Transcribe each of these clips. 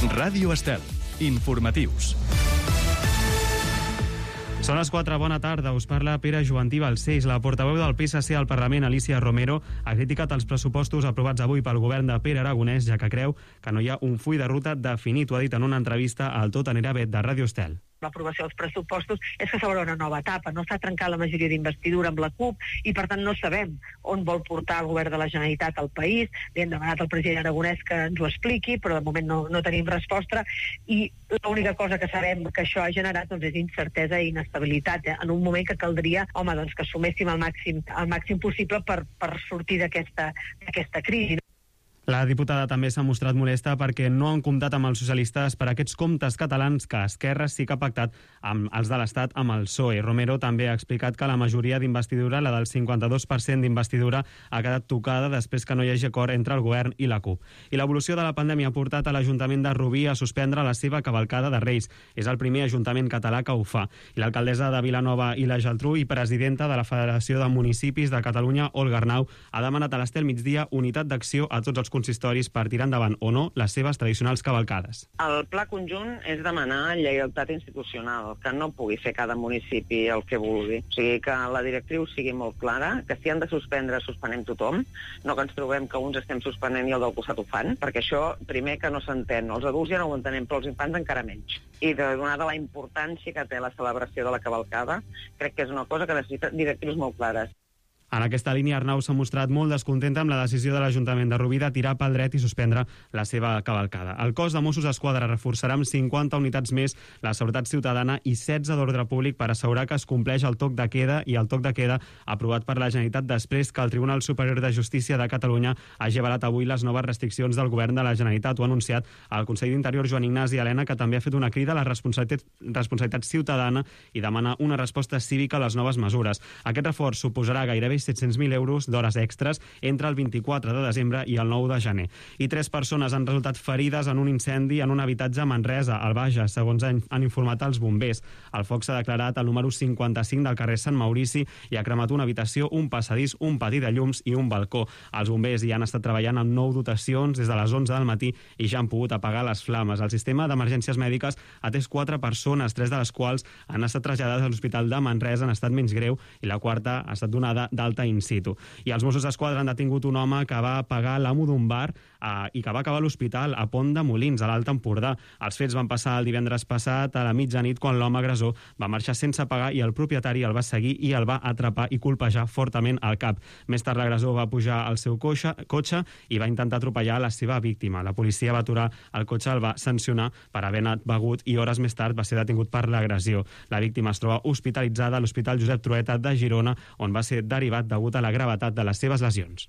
Ràdio Estel. Informatius. Són les 4, bona tarda. Us parla Pere Jovantí Balcells. La portaveu del PSC al Parlament, Alicia Romero, ha criticat els pressupostos aprovats avui pel govern de Pere Aragonès, ja que creu que no hi ha un full de ruta definit. Ho ha dit en una entrevista al Tot anirà bé de Ràdio Estel. L'aprovació dels pressupostos és que s'obre una nova etapa, no s'ha trencat la majoria d'investidura amb la CUP i per tant no sabem on vol portar el govern de la Generalitat al país. Li hem demanat al president Aragonès que ens ho expliqui, però de moment no tenim resposta i l'única cosa que sabem que això ha generat és incertesa i inestabilitat, en un moment que caldria que assuméssim el màxim possible per sortir d'aquesta crisi. La diputada també s'ha mostrat molesta perquè no han comptat amb els socialistes per aquests comptes catalans que Esquerra sí que ha pactat amb els de l'Estat amb el PSOE. Romero també ha explicat que la majoria d'investidura, la del 52% d'investidura, ha quedat tocada després que no hi hagi acord entre el govern i la CUP. I l'evolució de la pandèmia ha portat a l'Ajuntament de Rubí a suspendre la seva cavalcada de Reis. És el primer ajuntament català que ho fa. I l'alcaldessa de Vilanova i la Geltrú i presidenta de la Federació de Municipis de Catalunya, Olga Arnau, ha demanat a l'Estel Migdia unitat d'acció a tots els consistoris per tirar endavant o no les seves tradicionals cavalcades. El pla conjunt és demanar lleialtat institucional, que no pugui fer cada municipi el que vulgui. O sigui, que la directriu sigui molt clara, que si han de suspendre, suspenem tothom, no que ens trobem que uns estem suspenent i el del costat ho fan, perquè això, primer, que no s'entén. Els adults ja no ho entenem, però els infants encara menys. I donada la importància que té la celebració de la cavalcada, crec que és una cosa que necessita directrius molt clares. En aquesta línia, Arnau s'ha mostrat molt descontenta amb la decisió de l'Ajuntament de Rubí de tirar pel dret i suspendre la seva cavalcada. El cos de Mossos d'Esquadra reforçarà amb 50 unitats més la seguretat ciutadana i 16 d'ordre públic per assegurar que es compleix el toc de queda i el toc de queda aprovat per la Generalitat després que el Tribunal Superior de Justícia de Catalunya hagi avalat avui les noves restriccions del govern de la Generalitat. Ho ha anunciat el conseller d'Interior Joan Ignasi Elena, que també ha fet una crida a la responsabilitat ciutadana i demana una resposta cívica a les noves mesures. Aquest reforç suposarà gairebé 700.000 euros d'hores extres entre el 24 de desembre i el 9 de gener. I 3 persones han resultat ferides en un incendi en un habitatge a Manresa, al Bages, segons han informat els bombers. El foc s'ha declarat al número 55 del carrer Sant Maurici i ha cremat una habitació, un passadís, un pati de llums i un balcó. Els bombers hi han estat treballant amb 9 dotacions des de les 11 del matí i ja han pogut apagar les flames. El sistema d'emergències mèdiques ha atès 4 persones, 3 de les quals han estat traslladades a l'Hospital de Manresa en estat menys greu i la quarta ha estat donada d'alta in situ. I els Mossos d'Esquadra han detingut un home que va pagar l'amo d'un bar i que va acabar a l'hospital a Pont de Molins, a l'Alt Empordà. Els fets van passar el divendres passat a la mitjanit quan l'home agressor va marxar sense pagar i el propietari el va seguir i el va atrapar i colpejar fortament al cap. Més tard l'agressor va pujar al seu cotxe i va intentar atropellar la seva víctima. La policia va aturar el cotxe, el va sancionar per haver anat begut i hores més tard va ser detingut per l'agressió. La víctima es troba hospitalitzada a l'Hospital Josep Trueta de Girona, on va ser derivat degut a la gravetat de les seves lesions.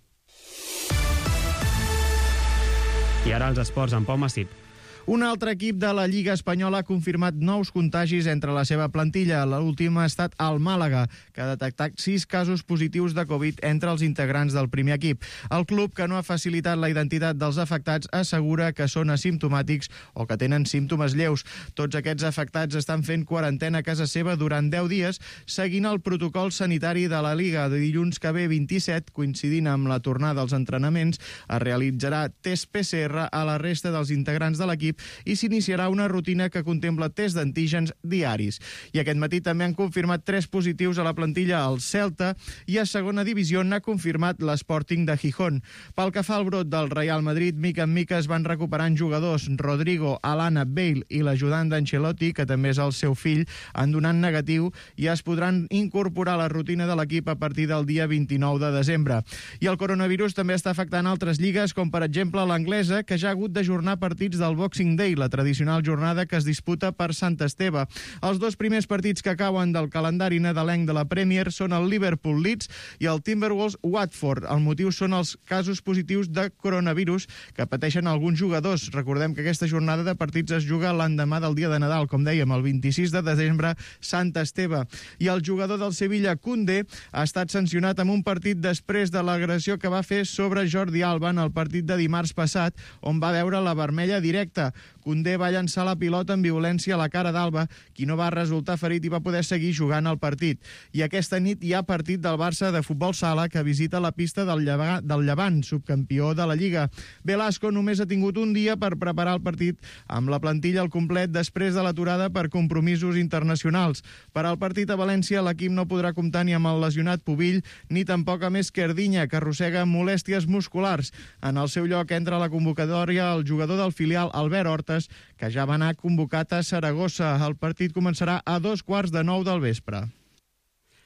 I ara els esports amb Pau Massip. Un altre equip de la Lliga Espanyola ha confirmat nous contagis entre la seva plantilla. L'últim ha estat el Màlaga, que ha detectat 6 casos positius de Covid entre els integrants del primer equip. El club, que no ha facilitat la identitat dels afectats, assegura que són asimptomàtics o que tenen símptomes lleus. Tots aquests afectats estan fent quarantena a casa seva durant 10 dies, seguint el protocol sanitari de la Lliga. De dilluns que ve 27, coincidint amb la tornada als entrenaments, es realitzarà test PCR a la resta dels integrants de l'equip i s'iniciarà una rutina que contempla test d'antígens diaris. I aquest matí també han confirmat 3 positius a la plantilla al Celta i a segona divisió n'ha confirmat l'Sporting de Gijón. Pel que fa al brot del Real Madrid, mica en mica es van recuperant jugadors. Rodrigo, Alana, Bale i l'ajudant d'Ancelotti, que també és el seu fill, han donat negatiu i es podran incorporar a la rutina de l'equip a partir del dia 29 de desembre. I el coronavirus també està afectant altres lligues, com per exemple l'anglesa, que ja ha hagut d'ajornar partits del Boxing Day, la tradicional jornada que es disputa per Sant Esteve. Els 2 primers partits que acaben del calendari nadalenc de la Premier són el Liverpool-Leeds i el Timberwolves-Watford. El motiu són els casos positius de coronavirus que pateixen alguns jugadors. Recordem que aquesta jornada de partits es juga l'endemà del dia de Nadal, com dèiem, el 26 de desembre, Sant Esteve. I el jugador del Sevilla, Koundé, ha estat sancionat amb un partit després de l'agressió que va fer sobre Jordi Alba en el partit de dimarts passat, on va veure la vermella directa. Koundé va llançar la pilota amb violència a la cara d'Alba, qui no va resultar ferit i va poder seguir jugant al partit. I aquesta nit hi ha partit del Barça de futbol sala que visita la pista del Llevant, subcampió de la Lliga. Velasco només ha tingut un dia per preparar el partit amb la plantilla al complet després de l'aturada per compromisos internacionals. Per al partit a València, l'equip no podrà comptar ni amb el lesionat Pubill ni tampoc amb Esquerdinya, que arrossega molèsties musculars. En el seu lloc entra a la convocatòria el jugador del filial Albert Hortes, que ja va anar convocat a Saragossa. El partit començarà a 8:45 del vespre.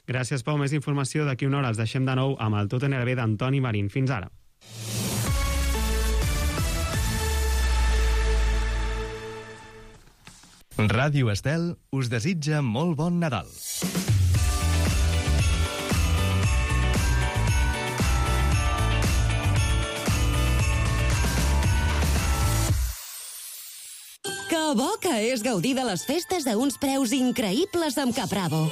Gràcies, Pau. Més informació d'aquí una hora. Els deixem de nou amb el Tot NRB d'Antoni Marín. Fins ara. Ràdio Estel us desitja molt bon Nadal. Que bo que és gaudir de les festes a uns preus increïbles amb Capravo.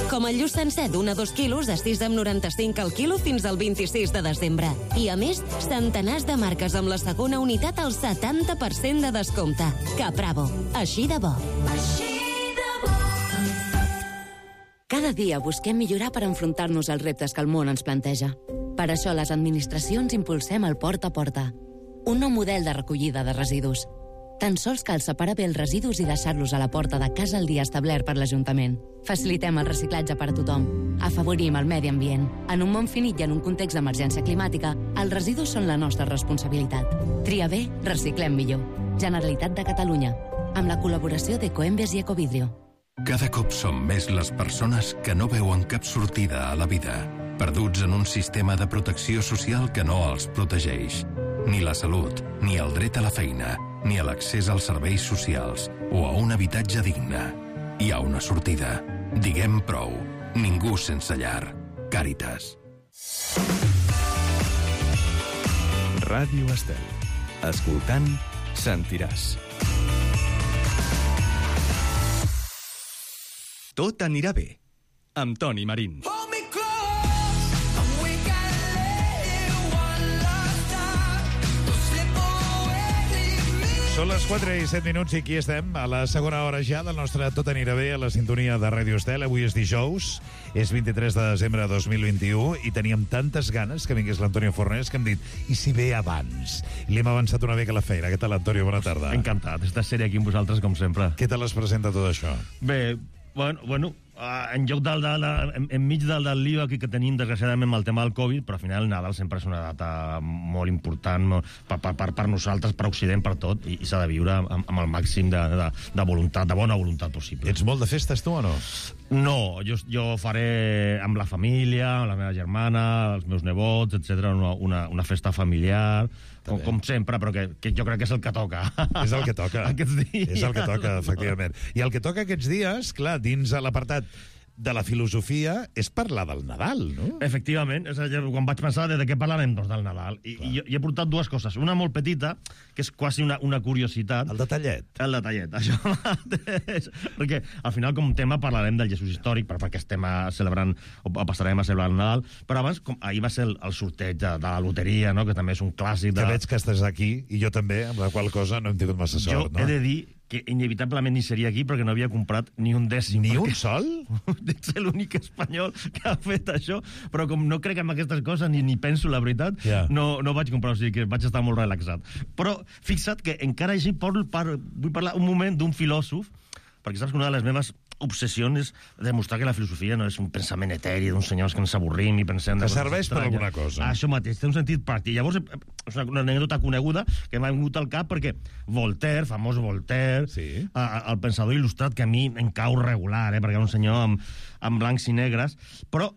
Com el lluç sencer d'1 a 2 quilos a 6,95 al quilo fins al 26 de desembre. I a més, centenars de marques amb la segona unitat al 70% de descompte. Capravo. Així de bo. Cada dia busquem millorar per enfrontar-nos als reptes que el món ens planteja. Per això les administracions impulsem el Porta a Porta, un nou model de recollida de residus. Tan sols cal separar bé els residus i deixar-los a la porta de casa el dia establert per l'Ajuntament. Facilitem el reciclatge per a tothom. Afavorim el medi ambient. En un món finit i en un context d'emergència climàtica, els residus són la nostra responsabilitat. Tria bé, reciclem millor. Generalitat de Catalunya. Amb la col·laboració d'Ecoembes i Ecovidrio. Cada cop som més les persones que no veuen cap sortida a la vida, perduts en un sistema de protecció social que no els protegeix. Ni la salut, ni el dret a la feina, ni a l'accés als serveis socials o a un habitatge digne. Hi ha una sortida. Diguem prou. Ningú sense llar. Càritas. Ràdio Estel. Escoltant, sentiràs. Tot anirà bé. Amb Toni Marín. Són les 4 i 7 minuts i aquí estem, a la segona hora ja del nostre Tot anirà bé a la sintonia de Ràdio Estel. Avui és dijous, és 23 de desembre de 2021 i teníem tantes ganes que vingués l'Antonio Fornés que hem dit, i si ve abans? Li hem avançat una mica la feina. Què tal, Antonio? Bona tarda. Encantat, estàs sèrie aquí amb vosaltres, com sempre. Què tal es presenta tot això? Bé, bueno, en lloc enmig del lío aquí que tenim, desgraciadament, amb el tema del Covid, però al final el Nadal sempre és una data molt important per nosaltres, per Occident, per tot, i s'ha de viure amb el màxim de voluntat, de bona voluntat possible. Ets molt de festes, tu, o no? No, jo faré amb la família, amb la meva germana, els meus nebots, etc. una festa familiar, com sempre, però que jo crec que és el que toca. És el que toca. Aquests dies. És el que toca, efectivament. I el que toca aquests dies, clar, dins l'apartat de la filosofia, és parlar del Nadal, no? Efectivament. És a dir, quan vaig pensar de què parlarem, doncs del Nadal. I jo he portat dues coses. Una molt petita, que és quasi una curiositat. El detallet. El detallet, això mateix. Perquè al final, com a tema, parlarem del Jesús històric, perquè estem celebrant, o passarem a celebrar el Nadal. Però abans, ahir va ser el sorteig de la loteria, no?, que també és un clàssic. Que veig que estàs aquí, i jo també, amb la qual cosa no hem tingut massa sort, no? Jo he de dir que inevitablement ni seria aquí perquè no havia comprat ni un dècim. Ni un sol? Ets l'únic espanyol que ha fet això, però com no crec en aquestes coses ni penso la veritat, no vaig comprar, o sigui que vaig estar molt relaxat. Però fixa't que encara així vull parlar un moment d'un filòsof, perquè saps que una de les meves obsessions és demostrar que la filosofia no és un pensament eteri d'uns senyors que ens avorrim i pensem... Que serveix per alguna cosa. Això mateix, té un sentit pràctic. Llavors, és una anècdota coneguda que m'ha vingut al cap perquè Voltaire, famós Voltaire, el pensador il·lustrat que a mi em cau regular, perquè era un senyor amb blancs i negres, però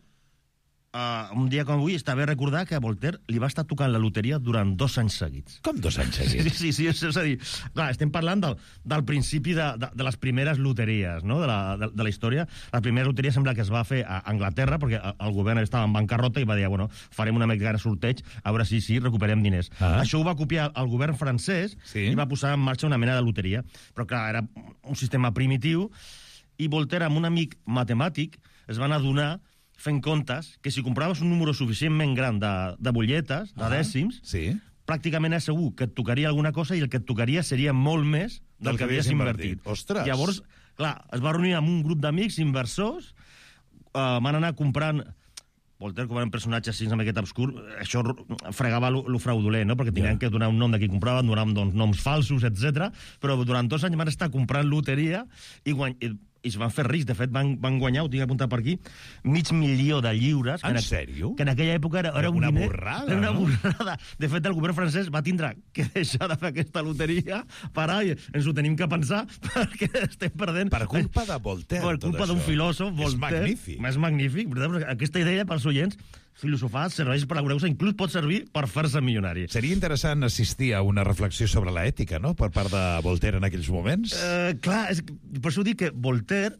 un dia com avui està bé recordar que a Voltaire li va estar tocant la loteria durant 2 anys seguits. Com 2 anys seguits? Sí, és a dir, clar, estem parlant del principi de les primeres loteries, no?, de la història. La primera loteria sembla que es va fer a Anglaterra, perquè el govern estava en bancarrota i va dir, bueno, farem una mica de sorteig, a veure si recuperem diners. Això ho va copiar el govern francès i va posar en marxa una mena de loteria. Però, clar, era un sistema primitiu, i Voltaire, amb un amic matemàtic, es van adonar fent comptes que si compraves un número suficientment gran de butlletes, de dècims, pràcticament és segur que et tocaria alguna cosa i el que et tocaria seria molt més del que havies invertit. Ostres! Llavors, clar, es va reunir amb un grup d'amics inversors, van anar comprant... Voltaire, com era un personatge així amb aquest obscur, això fregava lo fraudulent, no? Perquè tenien que donar un nom de qui compraven, donaven noms falsos, etc. Però durant 2 anys van estar comprant loteria i es van fer rics. De fet, van guanyar, ho tinc apuntat per aquí, $500.000 de lliures. En sèrio? Que en aquella època era un una diner... borrada, era una no? borrada. De fet, el govern francès va tindre que deixar de fer aquesta loteria, parar, i ens ho tenim que pensar, perquè estem perdent... Per culpa de Voltaire, Per culpa d'un filòsof, Voltaire. És magnífic. Aquesta idea, pels oients, filosofar serveix per aureus, inclús pot servir per fer-se milionari. Seria interessant assistir a una reflexió sobre l'ètica, no?, per part de Voltaire en aquells moments. Clar, per això dic que Voltaire...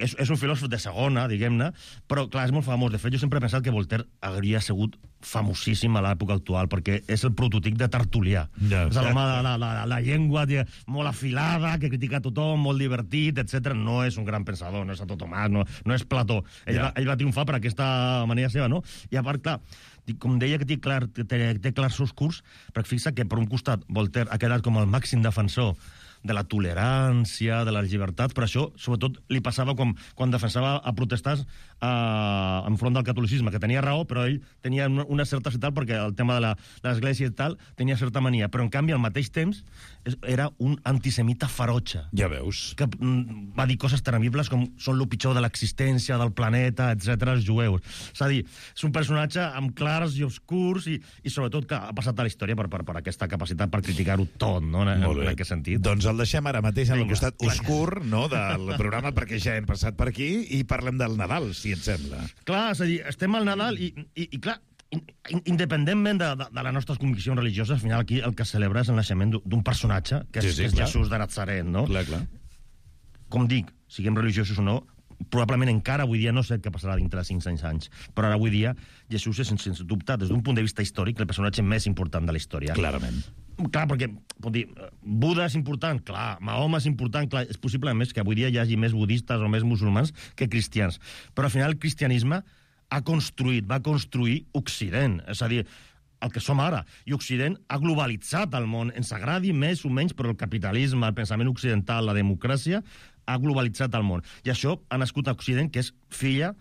És un filòsof de segona, diguem-ne, però, clar, és molt famós. De fet, jo sempre he pensat que Voltaire hauria sigut famosíssim a l'època actual, perquè és el prototip de Tertulià. Ja, és l'home de la llengua molt afilada, que critica a tothom, molt divertit, etc. No és un gran pensador, no és Santo Tomàs, no és Plató. Ell va triomfar per aquesta manera seva, no? I a part, clar, com deia que té clars oscurs, perquè fixa que per un costat Voltaire ha quedat com el màxim defensor de la tolerància, de les llibertats, però això, sobretot, li passava quan defensava a protestants enfront del catolicisme, que tenia raó, però ell tenia una certa citat, perquè el tema de l'església i tal tenia certa mania, però en canvi al mateix temps era un antisemita ferotge. Ja veus. Que va dir coses temibles com són el pitjor de l'existència, del planeta, etc. els jueus. És a dir, és un personatge amb clars i obscurs i sobretot que ha passat a la història per aquesta capacitat per criticar-ho tot, no? En aquest sentit. Doncs el deixem ara mateix en el costat oscur, no?, del programa, perquè ja hem passat per aquí i parlem del Nadal, si et sembla. Clar, és a dir, estem al Nadal i clar, independentment de les nostres conviccions religioses, al final aquí el que celebra és el naixement d'un personatge, que és Jesús de Nazaret, no? Clar. Com dic, siguem religiosos o no, probablement encara avui dia no sé què passarà dintre de 500 anys, però ara avui dia Jesús és, sense dubte, des d'un punt de vista històric, el personatge més important de la història. Clarament. Clar, perquè, pot dir, Buda és important, clar, Mahoma és important, clar, és possible, a més, que avui dia hi hagi més budistes o més musulmans que cristians. Però al final el cristianisme va construir Occident, és a dir, el que som ara. I Occident ha globalitzat el món, ens agradi més o menys, però el capitalisme, el pensament occidental, la democràcia, ha globalitzat el món. I això ha nascut a Occident, que és filla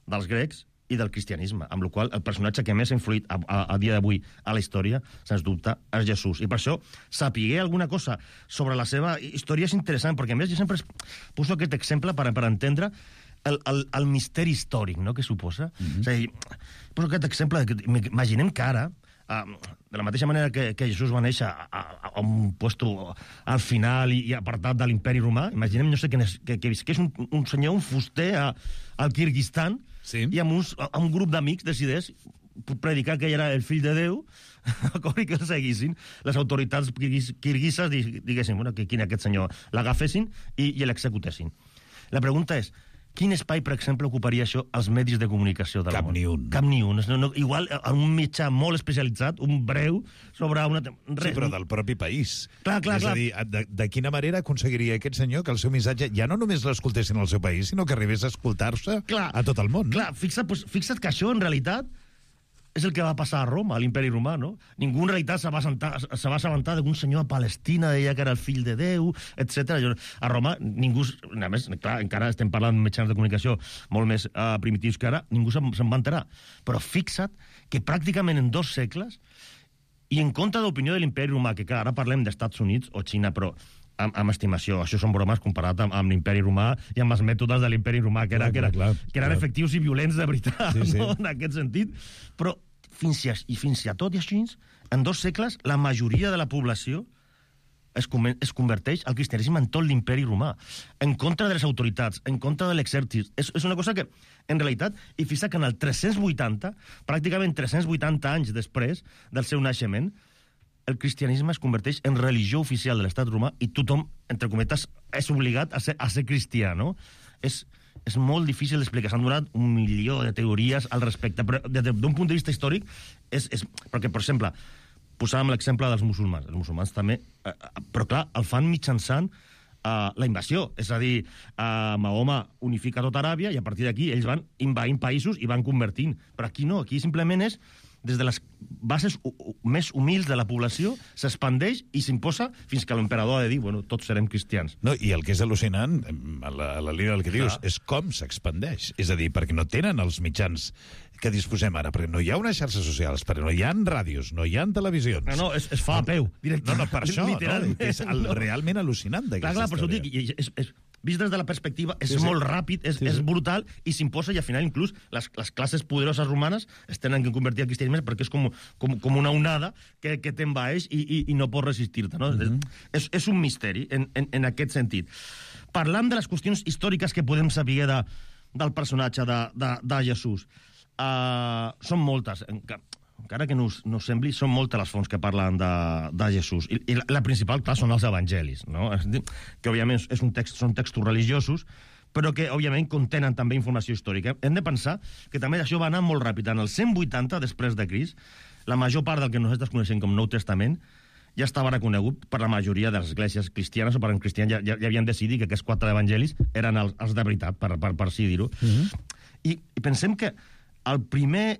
dels grecs i del cristianisme, amb la qual el personatge que més ha influït a dia d'avui a la història, sens dubte, és Jesús. I per això, sapiguer alguna cosa sobre la seva història és interessant, perquè a més jo sempre poso aquest exemple per entendre el misteri històric, no?, que suposa. És a dir, poso aquest exemple, imaginem que ara, de la mateixa manera que Jesús va néixer a un puesto al final i apartat de l'imperi romà, imaginem, no sé, que visqués un senyor, un fuster al Kirguistan, i amb un grup d'amics decideix predicar que ell era el fill de Déu, i que el seguissin. Les autoritats kirguises diguessin, bueno, que aquest senyor l'agafessin i l'executessin. La pregunta és, quin espai, per exemple, ocuparia això als medis de comunicació del món? Cap ni un. Igual, un mitjà molt especialitzat, un breu, sobre una... Sí, però del propi país. Clar. És a dir, de quina manera aconseguiria aquest senyor que el seu missatge ja no només l'escoltessin al seu país, sinó que arribés a escoltar-se a tot el món. Clar, fixa't que això, en realitat, és el que va passar a Roma, a l'imperi romà, no? Ningú en realitat se va assabentar d'un senyor a Palestina, deia que era el fill de Déu, etc. A Roma, ningú... A més, clar, encara estem parlant de mitjans de comunicació molt més primitius que ara, ningú se'n va enterar. Però fixa't que pràcticament en 2 segles, i en contra de l'opinió de l'imperi romà, que clar, ara parlem d'Estats Units o Xina, però amb estimació, això són bromes comparat amb l'imperi romà i amb els mètodes de l'imperi romà, que eren efectius i violents de veritat, no? En aquest sentit. Però fins a tot i així, en 2 segles, la majoria de la població es converteix al cristianisme en tot l'imperi romà, en contra de les autoritats, en contra de l'exèrcit. És una cosa que, en realitat, i fixa que en el 380, pràcticament 380 anys després del seu naixement, el cristianisme es converteix en religió oficial de l'estat romà i tothom, entre cometes, és obligat a ser cristià, no? És molt difícil d'explicar. S'han donat 1 milió de teories al respecte, però d'un punt de vista històric, perquè, per exemple, posàvem l'exemple dels musulmans. Els musulmans també, però clar, el fan mitjançant la invasió. És a dir, Mahoma unifica tota Aràbia i a partir d'aquí ells van invaint països i van convertint. Però aquí no, aquí simplement és des de les bases més humils de la població, s'expandeix i s'imposa fins que l'emperador ha de dir, bueno, tots serem cristians. No, i el que és al·lucinant, a la línia del que dius, és com s'expandeix. És a dir, perquè no tenen els mitjans que disposem ara, perquè no hi ha unes xarxes socials, perquè no hi ha ràdios, no hi ha televisions. No, es fa a peu, directament. No, per això, no, és realment al·lucinant d'aquesta història. Clar, per això dic, vist des de la perspectiva, és molt ràpid, és brutal, i s'imposa, i al final inclús les classes poderoses romanes es tenen que convertir al cristianisme perquè és com una onada que t'envaeix i no pots resistir-te. No? És un misteri en aquest sentit. Parlant de les qüestions històriques que podem saber del personatge de Jesús, són moltes, encara que no us sembli, són moltes les fonts que parlen de Jesús. I la principal, clar, són els evangelis, no? Que, òbviament, són textos religiosos, però que, òbviament, contenen també informació històrica. Hem de pensar que també això va anar molt ràpid. En el 180 després de Crist, la major part del que nosaltres coneixem com Nou Testament ja estava reconegut per la majoria de les esglésies cristianes o per cristians ja havien decidit que aquests 4 evangelis eren els de veritat, per així dir-ho. I pensem que el primer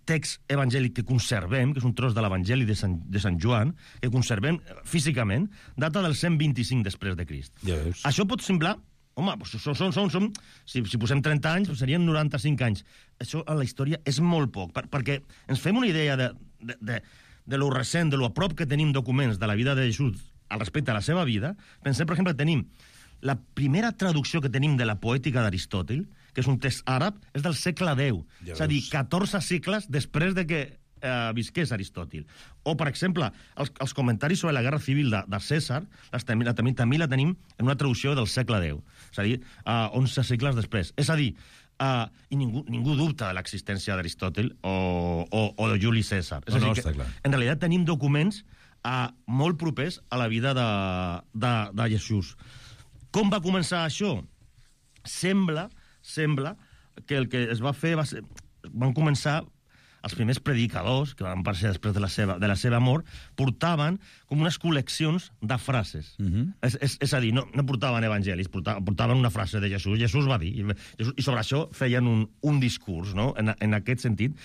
text evangèlic que conservem, que és un tros de l'Evangeli de Sant Joan, que conservem físicament, data del 125 després de Crist. Ja veus. Això pot semblar... Home, si posem 30 anys, serien 95 anys. Això a la història és molt poc, perquè ens fem una idea de lo recent, de lo a prop que tenim documents de la vida de Jesús al respecte a la seva vida. Pensem, per exemple, que tenim la primera traducció que tenim de la poètica d'Aristòtil, que és un text àrab, és del segle X. Ja és a dir, 14 segles després de que visqués Aristòtil. O, per exemple, els comentaris sobre la guerra civil de Cèsar també la tenim en una traducció del segle X. És a dir, 11 segles després. És a dir, i ningú dubta de l'existència d'Aristòtil o de Juli Cèsar. És a dir, que, en realitat tenim documents molt propers a la vida de Jesús. Com va començar això? Sembla que el que es va fer van començar els primers predicadors, que van aparèixer després de la seva mort, portaven com unes col·leccions de frases. És a dir, no portaven evangelis, portaven una frase de Jesús. Jesús va dir, i sobre això feien un discurs, no? En aquest sentit.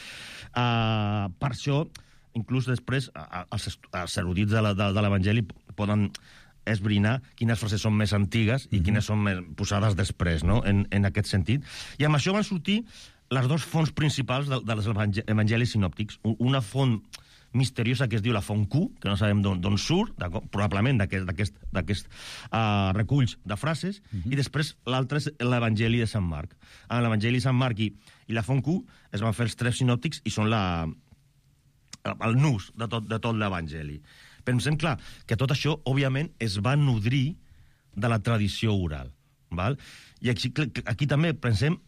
Per això, inclús després, els erudits de l'Evangeli poden esbrinar quines frases són més antigues i quines són més posades després, no? En aquest sentit. I amb això van sortir les 2 fonts principals dels evangelis sinòptics. Una font misteriosa que es diu la font Q, que no sabem d'on surt, probablement d'aquests reculls de frases, i després l'altre és l'Evangeli de Sant Marc. En l'Evangeli de Sant Marc i la font Q es van fer els 3 sinòptics i són el nus de tot l'Evangeli. Pensem, clar, que tot això, òbviament, es va nodrir de la tradició oral. Val? I aquí també pensem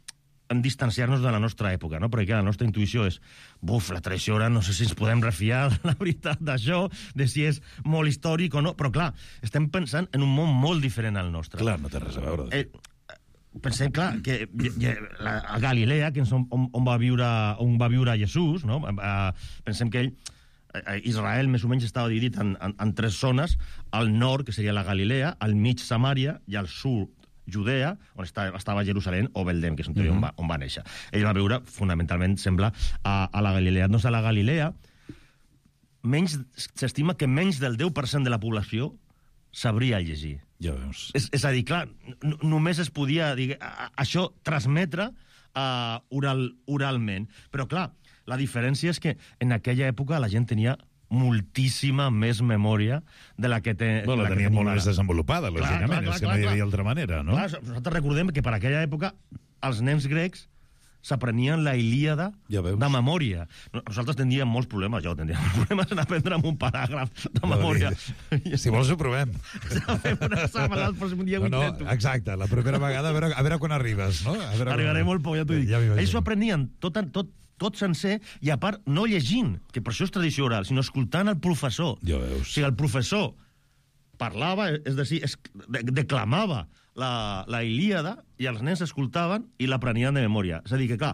en distanciar-nos de la nostra època, no? Perquè la nostra intuïció és la tradició oral, no sé si ens podem refiar de la veritat d'això, de si és molt històric o no, però clar, estem pensant en un món molt diferent al nostre. Clar, no té res a veure. Pensem, clar, que a Galilea, que és on va viure Jesús, no? Pensem que Israel més o menys estava dividit en 3 zones: al nord, que seria la Galilea, al mig Samària, i al sud Judea, on estava Jerusalem, o Beldem, que és on va néixer. Ell va viure, fonamentalment, sembla, a la Galilea. Doncs a la Galilea s'estima que menys del 10% de la població sabria llegir. Ja veus. És a dir, clar, només es podia això transmetre oralment. Però, clar, la diferència és que en aquella època la gent tenia moltíssima més memòria de la que té... La tenia molt més desenvolupada, lògicament, és que no hi havia altra manera, no? Clar, nosaltres recordem que per aquella època els nens grecs s'aprenien la Ilíada de memòria. Nosaltres tindríem molts problemes, tindríem problemes en aprendre un paràgraf de memòria. Si vols ho provem. Exacte, la primera vegada, a veure quan arribes, no? Arribaré molt poc, ja t'ho dic. Ells ho aprenien tot sencer, i a part no llegint, que per això és tradició oral, sinó escoltant el professor. Ja veus. O sigui, el professor parlava, és a dir, declamava la Ilíada, i els nens escoltaven i l'aprenien de memòria. És a dir, que clar,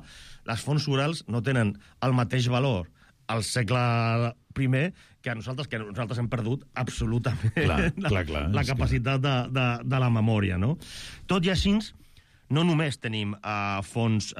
les fonts orals no tenen el mateix valor al segle I que nosaltres hem perdut absolutament la capacitat de la memòria, no? Tot i així, no només tenim fonts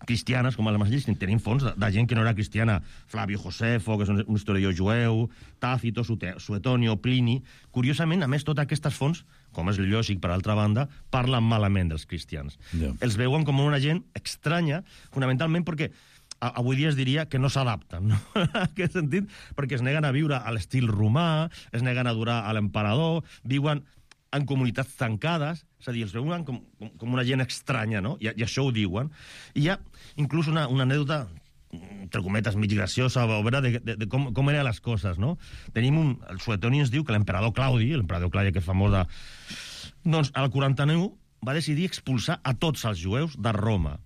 cristianes, com a les lleis, tenim fons de gent que no era cristiana. Flavio Josefo, que és un historiador jueu, Tàcito, Suetonio, Plini... Curiosament, a més, totes aquestes fonts, com és lògic, per altra banda, parlen malament dels cristians. Ja. Els veuen com una gent estranya, fonamentalment perquè avui dia es diria que no s'adapten, no? En aquest sentit, perquè es neguen a viure a l'estil romà, es neguen a adorar a l'emperador, viuen en comunitats tancades, és a dir, els veuen com una gent estranya, no? I això ho diuen. I hi ha inclús una anècdota, entre cometes, mig graciosa, de com eren les coses, no? El Suetoni ens diu que l'emperador Claudi que és famós de... Doncs, al 49 va decidir expulsar a tots els jueus de Roma.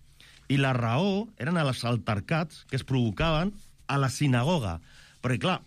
I la raó eren els altercats que es provocaven a la sinagoga. Perquè, clar,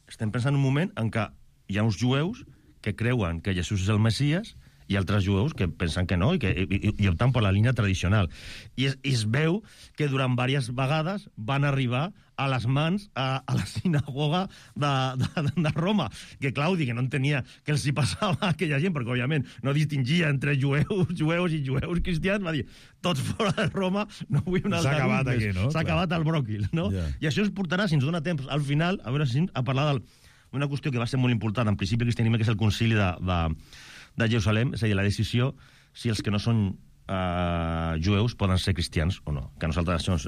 estem pensant en un moment en què hi ha uns jueus que creuen que Jesús és el Messies i altres jueus que pensen que no i opten per la línia tradicional. I es veu que durant diverses vegades van arribar a les mans a la sinagoga de Roma, que Claudi, que no entenia què els hi passava a aquella gent, perquè, òbviament, no distingia entre jueus i jueus cristians, va dir, tots fora de Roma, no vull un altre. S'ha acabat aquí, no? S'ha acabat el bròquil, no? Yeah. I això ens portarà, si ens dona temps, al final, a veure si a parlar d'una qüestió que va ser molt important en principi del cristianisme, que és el concili de Jerusalem, és a dir, la decisió si els que no són jueus poden ser cristians o no. Que a nosaltres això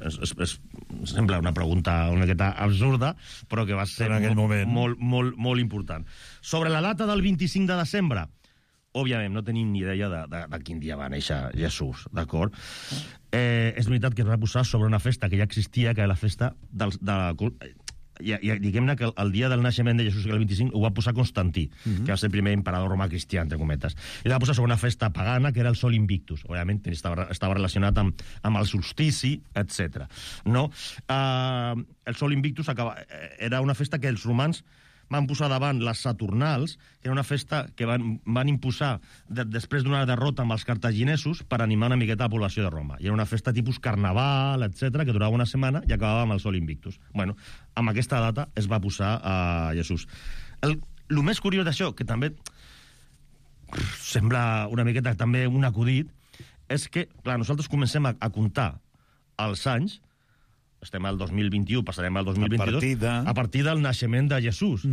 sembla una pregunta una miqueta absurda, però que va ser molt important. Sobre la data del 25 de desembre, òbviament no tenim ni idea de quin dia va néixer Jesús, d'acord? És veritat que es va posar sobre una festa que ja existia, que era la festa diguem-ne que el dia del naixement de Jesús, que el 25, ho va posar Constantí, que va ser el primer emperador romà cristià, entre cometes. I la va posar sobre una festa pagana, que era el Sol Invictus. Òbviament estava relacionat amb el solstici, etc. No? El Sol Invictus era una festa que els romans van posar davant les Saturnals, que era una festa que van imposar després d'una derrota amb els cartaginesos per animar una miqueta la població de Roma. I era una festa tipus carnaval, etc, que durava una setmana i acabava amb el Sol Invictus. Bueno, amb aquesta data es va posar a Jesús. El més curiós d'això, que també sembla una miqueta també un acudit, és que, clar, nosaltres comencem a comptar els anys, estem al 2021, passarem al 2022, a partir del naixement de Jesús.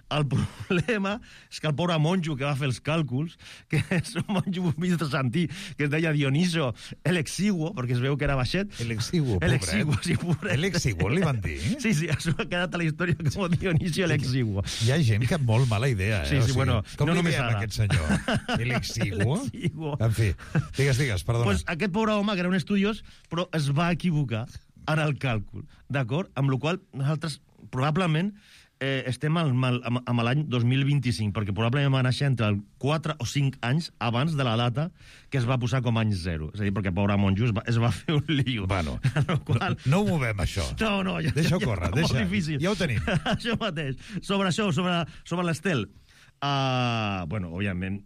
El problema és que el pobre monjo que va fer els càlculs, que és un monjo bizantí, que es deia Dioniso el Exiguo, perquè es veu que era baixet. El Exiguo, pobret. El Exiguo, li van dir? Sí, això ha quedat a la història com Dionisio el Exiguo. Hi ha gent que ha molt mala idea, Sí, bueno, com li diem aquest senyor? El Exiguo? En fi, digues, perdona. Pues aquest pobre home, que era un estudiós, però es va equivocar en el càlcul, d'acord? Amb la qual nosaltres probablement estem amb l'any 2025, perquè probablement va néixer entre 4 o 5 anys abans de la data que es va posar com any 0. És a dir, perquè pobre monjo es va fer un lío. Bueno, no ho movem, això. No, ja, deixa-ho córrer, molt difícil. Ja ho tenim. Això mateix. Sobre l'Estel. Bueno, òbviament,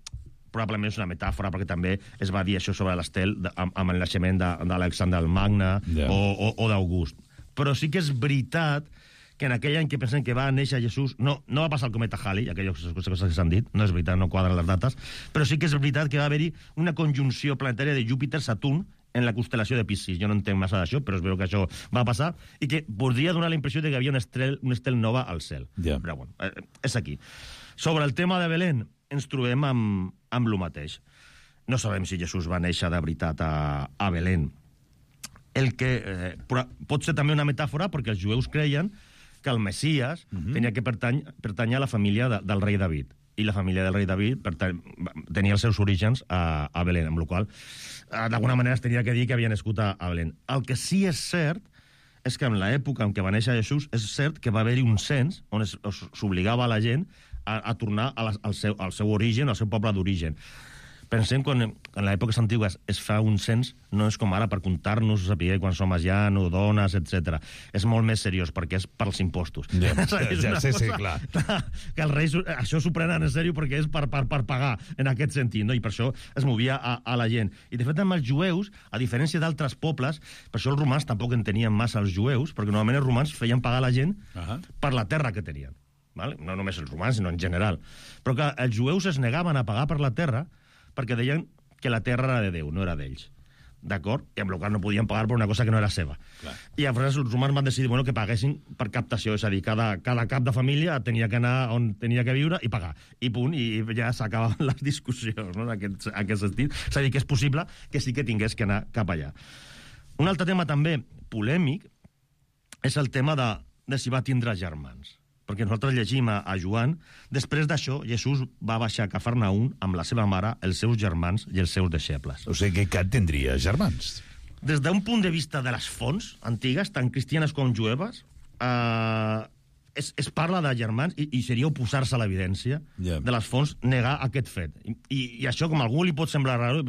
probablement és una metàfora, perquè també es va dir això sobre l'Estel amb el naixement d'Alexandre el Magne o d'August. Però sí que és veritat que en aquell any que pensem que va néixer Jesús, no va passar el cometa Halley, aquelles coses que s'han dit, no és veritat, no quadren les dates, però sí que és veritat que va haver-hi una conjunció planetària de Júpiter-Saturn en la constel·lació de Piscis. Jo no entenc massa d'això, però es veu que això va passar i que podria donar la impressió de que hi havia un estel nova al cel. Però bueno, és aquí. Sobre el tema de Belén, ens trobem amb lo mateix. No sabem si Jesús va néixer de veritat a Belén. El que pot ser també una metàfora, perquè els jueus creien que el Messias tenia que pertànyer a la família del rei David. I la família del rei David tenia els seus orígens a Belén, amb la qual d'alguna manera es tenia que dir que havia nascut a Belén. El que sí és cert és que en l'època en què va néixer Jesús és cert que va haver-hi un cens on s'obligava a la gent a tornar al seu origen, al seu poble d'origen. Pensem que en l'èpoques antigues es fa un cens, no és com ara per comptar-nos, saber quan som ja, no dones, etc. És molt més seriós, perquè és pels impostos. Sí, clar. Que els reis això s'ho prenen en sèrio perquè és per pagar, en aquest sentit, no? I per això es movia a la gent. I de fet, amb els jueus, a diferència d'altres pobles, per això els romans tampoc en tenien massa els jueus, perquè normalment els romans feien pagar la gent per la terra que tenien. No només els romans, sinó en general. Però que els jueus es negaven a pagar per la terra perquè deien que la terra era de Déu, no era d'ells. d'acord? I amb el qual no podien pagar per una cosa que no era seva. Clar. I llavors els romans van decidir que paguessin per captació, és a dir, cada cap de família tenia que anar on tenia que viure i pagar. I punt, i ja s'acabaven les discussions, no?, en aquest sentit. És a dir, que és possible que sí que tingués que anar cap allà. Un altre tema també polèmic és el tema de si va tindre germans. Perquè nosaltres llegim a Joan, després d'això, Jesús va baixar a Cafarnaum amb la seva mare, els seus germans i els seus deixebles. O sigui que Cat tindria germans. Des d'un punt de vista de les fonts antigues, tant cristianes com jueves, es parla de germans i seria oposar-se a l'evidència de les fonts, negar aquest fet. I això, com a algú li pot semblar raro,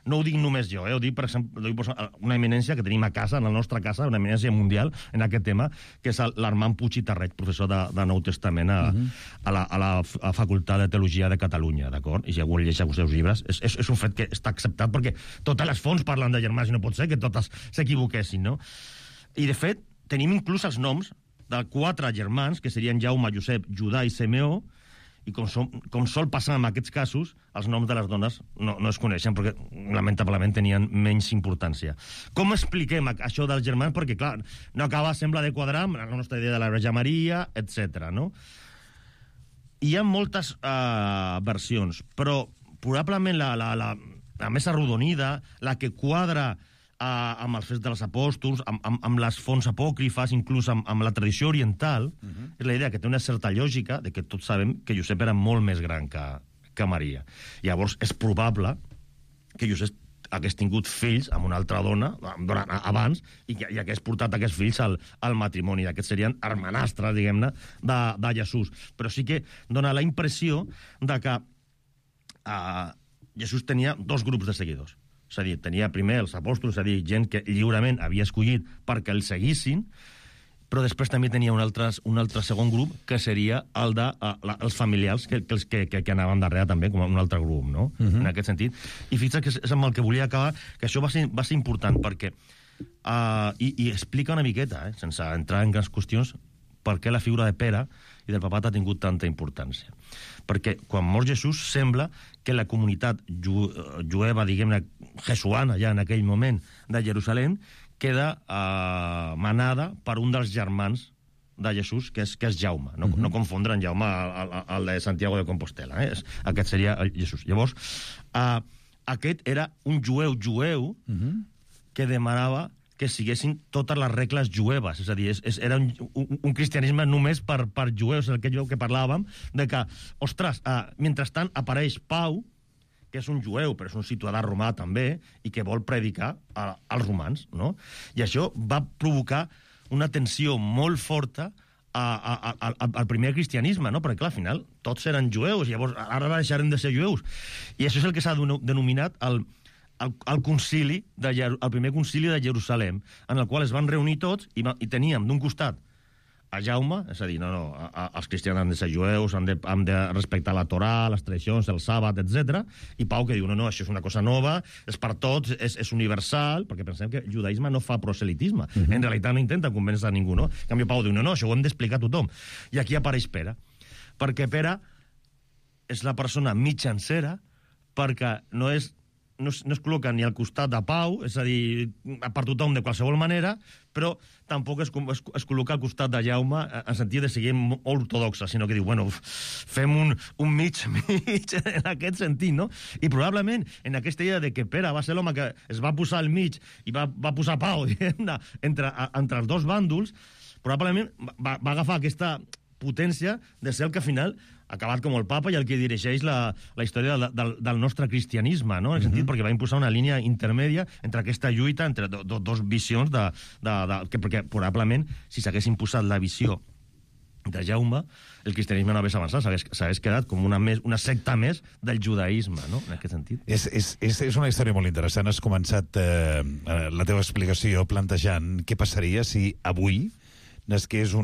no ho dic només jo, ho dic, per exemple, una eminència que tenim a casa, en la nostra casa, una eminència mundial en aquest tema, que és l'Armand Puig i Tarrech, professor de Nou Testament a la Facultat de Teologia de Catalunya, d'acord? I si algú llegeix els seus llibres, és un fet que està acceptat, perquè totes les fonts parlen de germans i no pot ser que totes s'equivoquessin, no? I, de fet, tenim inclús els noms de 4 germans, que serien Jaume, Josep, Judà i Simeó, i com sol passar en aquests casos, els noms de les dones no es coneixen, perquè lamentablement tenien menys importància. Com expliquem això dels germans? Perquè, clar, no acaba, sembla, de quadrar amb la nostra idea de la Verge Maria, etc. no? Hi ha moltes versions, però probablement la més arrodonida, la que quadra amb els fets dels apòstols, amb les fonts apòcrifes, inclús amb la tradició oriental, és la idea que té una certa lògica de que tots sabem que Josep era molt més gran que Maria. Llavors, és probable que Josep hagués tingut fills amb una altra dona abans i que hagués portat aquests fills al matrimoni. Aquests serien hermanastres, diguem-ne, de Jesús. Però sí que dona la impressió de que Jesús tenia 2 grups de seguidors. És a dir, tenia primer els apòstols, és a dir, gent que lliurement havia escollit perquè el seguissin, però després també tenia un altre segon grup, que seria el dels familiars que anaven darrere també, com un altre grup, no? En aquest sentit. I fixa't que és amb el que volia acabar, que això va ser important, perquè i explica una miqueta, sense entrar en grans qüestions, per què la figura de Pere i del papat ha tingut tanta importància. Perquè quan mor Jesús sembla que la comunitat jueva, diguem-ne, jesuana, ja en aquell moment, de Jerusalem, queda manada per un dels germans de Jesús, que és Jaume. No confondre en Jaume el de Santiago de Compostela. Aquest seria Jesús. Llavors, aquest era un jueu que demanava que siguessin totes les regles jueves. És a dir, era un cristianisme només per jueus, el que parlàvem, de que, ostres, mentrestant apareix Pau, que és un jueu, però és un ciutadà romà també, i que vol predicar als romans, no? I això va provocar una tensió molt forta al primer cristianisme, no? Perquè, clar, al final, tots eren jueus, i llavors ara deixarem de ser jueus. I això és el que s'ha denominat el concili, el primer concili de Jerusalem, en el qual es van reunir tots i teníem d'un costat a Jaume, és a dir, els cristians han de ser jueus, han de respectar la Torà, les tradicions, el sàbat, etc. I Pau que diu, no, això és una cosa nova, és per tots, és universal, perquè pensem que el judaïsme no fa proselitisme. En realitat no intenta convèncer a ningú, no? En canvi, Pau diu, no, això ho hem d'explicar a tothom. I aquí apareix Pere, perquè Pere és la persona mitjancera, perquè no es col·loca ni al costat de Pau, és a dir, per tothom de qualsevol manera, però tampoc es col·loca al costat de Jaume en sentit de seguir molt ortodoxa, sinó que diu, bueno, fem un mig en aquest sentit, no? I probablement en aquesta idea de que Pere va ser l'home que es va posar al mig i va posar Pau, diguem-ne, entre els dos bàndols, probablement va agafar aquesta potència de ser el que al final ha acabat com el papa i el que dirigeix la història del nostre cristianisme, no? En el sentit perquè va imposar una línia intermèdia entre aquesta lluita, entre dos visions, perquè probablement si s'hagués imposat la visió de Jaume, el cristianisme no hagués avançat, s'hagués quedat com una secta més del judaïsme, no? En aquest sentit. És una història molt interessant. Has començat la teva explicació plantejant què passaria si avui naixés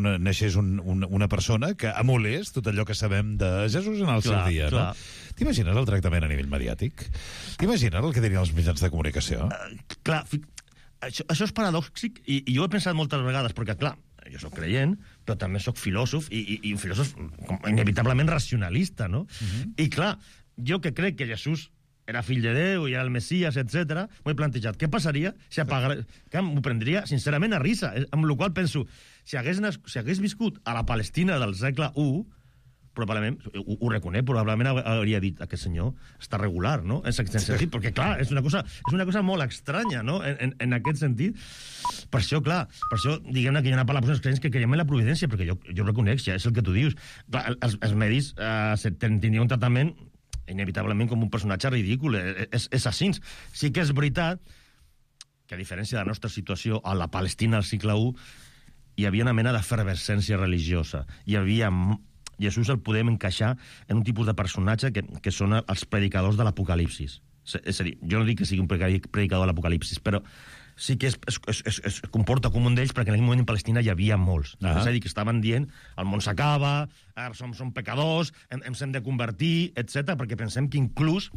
una persona que emulés tot allò que sabem de Jesús en el seu dia, no? T'imagines el tractament a nivell mediàtic? T'imagines el que dirien els mitjans de comunicació? Clar, això és paradòxic i jo he pensat moltes vegades, perquè, clar, jo soc creient, però també soc filòsof i un filòsof inevitablement racionalista, no? I, clar, jo que crec que Jesús era fill de Déu, i era el Messias, etc. M'ho he plantejat. Què passaria si apagara... Que m'ho prendria, sincerament, a risa. Amb la qual penso, si hagués viscut a la Palestina del segle I, probablement, ho reconec, probablement hauria dit aquest senyor està regular, no? En aquest sentit, perquè, clar, és una cosa molt estranya, no? En aquest sentit. Per això, clar, diguem-ne que hi ha una part de les persones creents que creiem en la providència, perquè jo reconec, ja és el que tu dius. Clar, els medis tindrien un tractament inevitablement com un personatge ridícul, és així. Sí que és veritat que, a diferència de la nostra situació a la Palestina al segle I, hi havia una mena d'efervescència religiosa. Hi havia... Jesús el podem encaixar en un tipus de personatge que són els predicadors de l'Apocalipsis. És a dir, jo no dic que sigui un predicador de l'Apocalipsis, però sí que es comporta com un d'ells, perquè en aquell moment en Palestina hi havia molts. És a dir, que estaven dient el món s'acaba, som pecadors, ens hem de convertir, etc. perquè pensem que inclús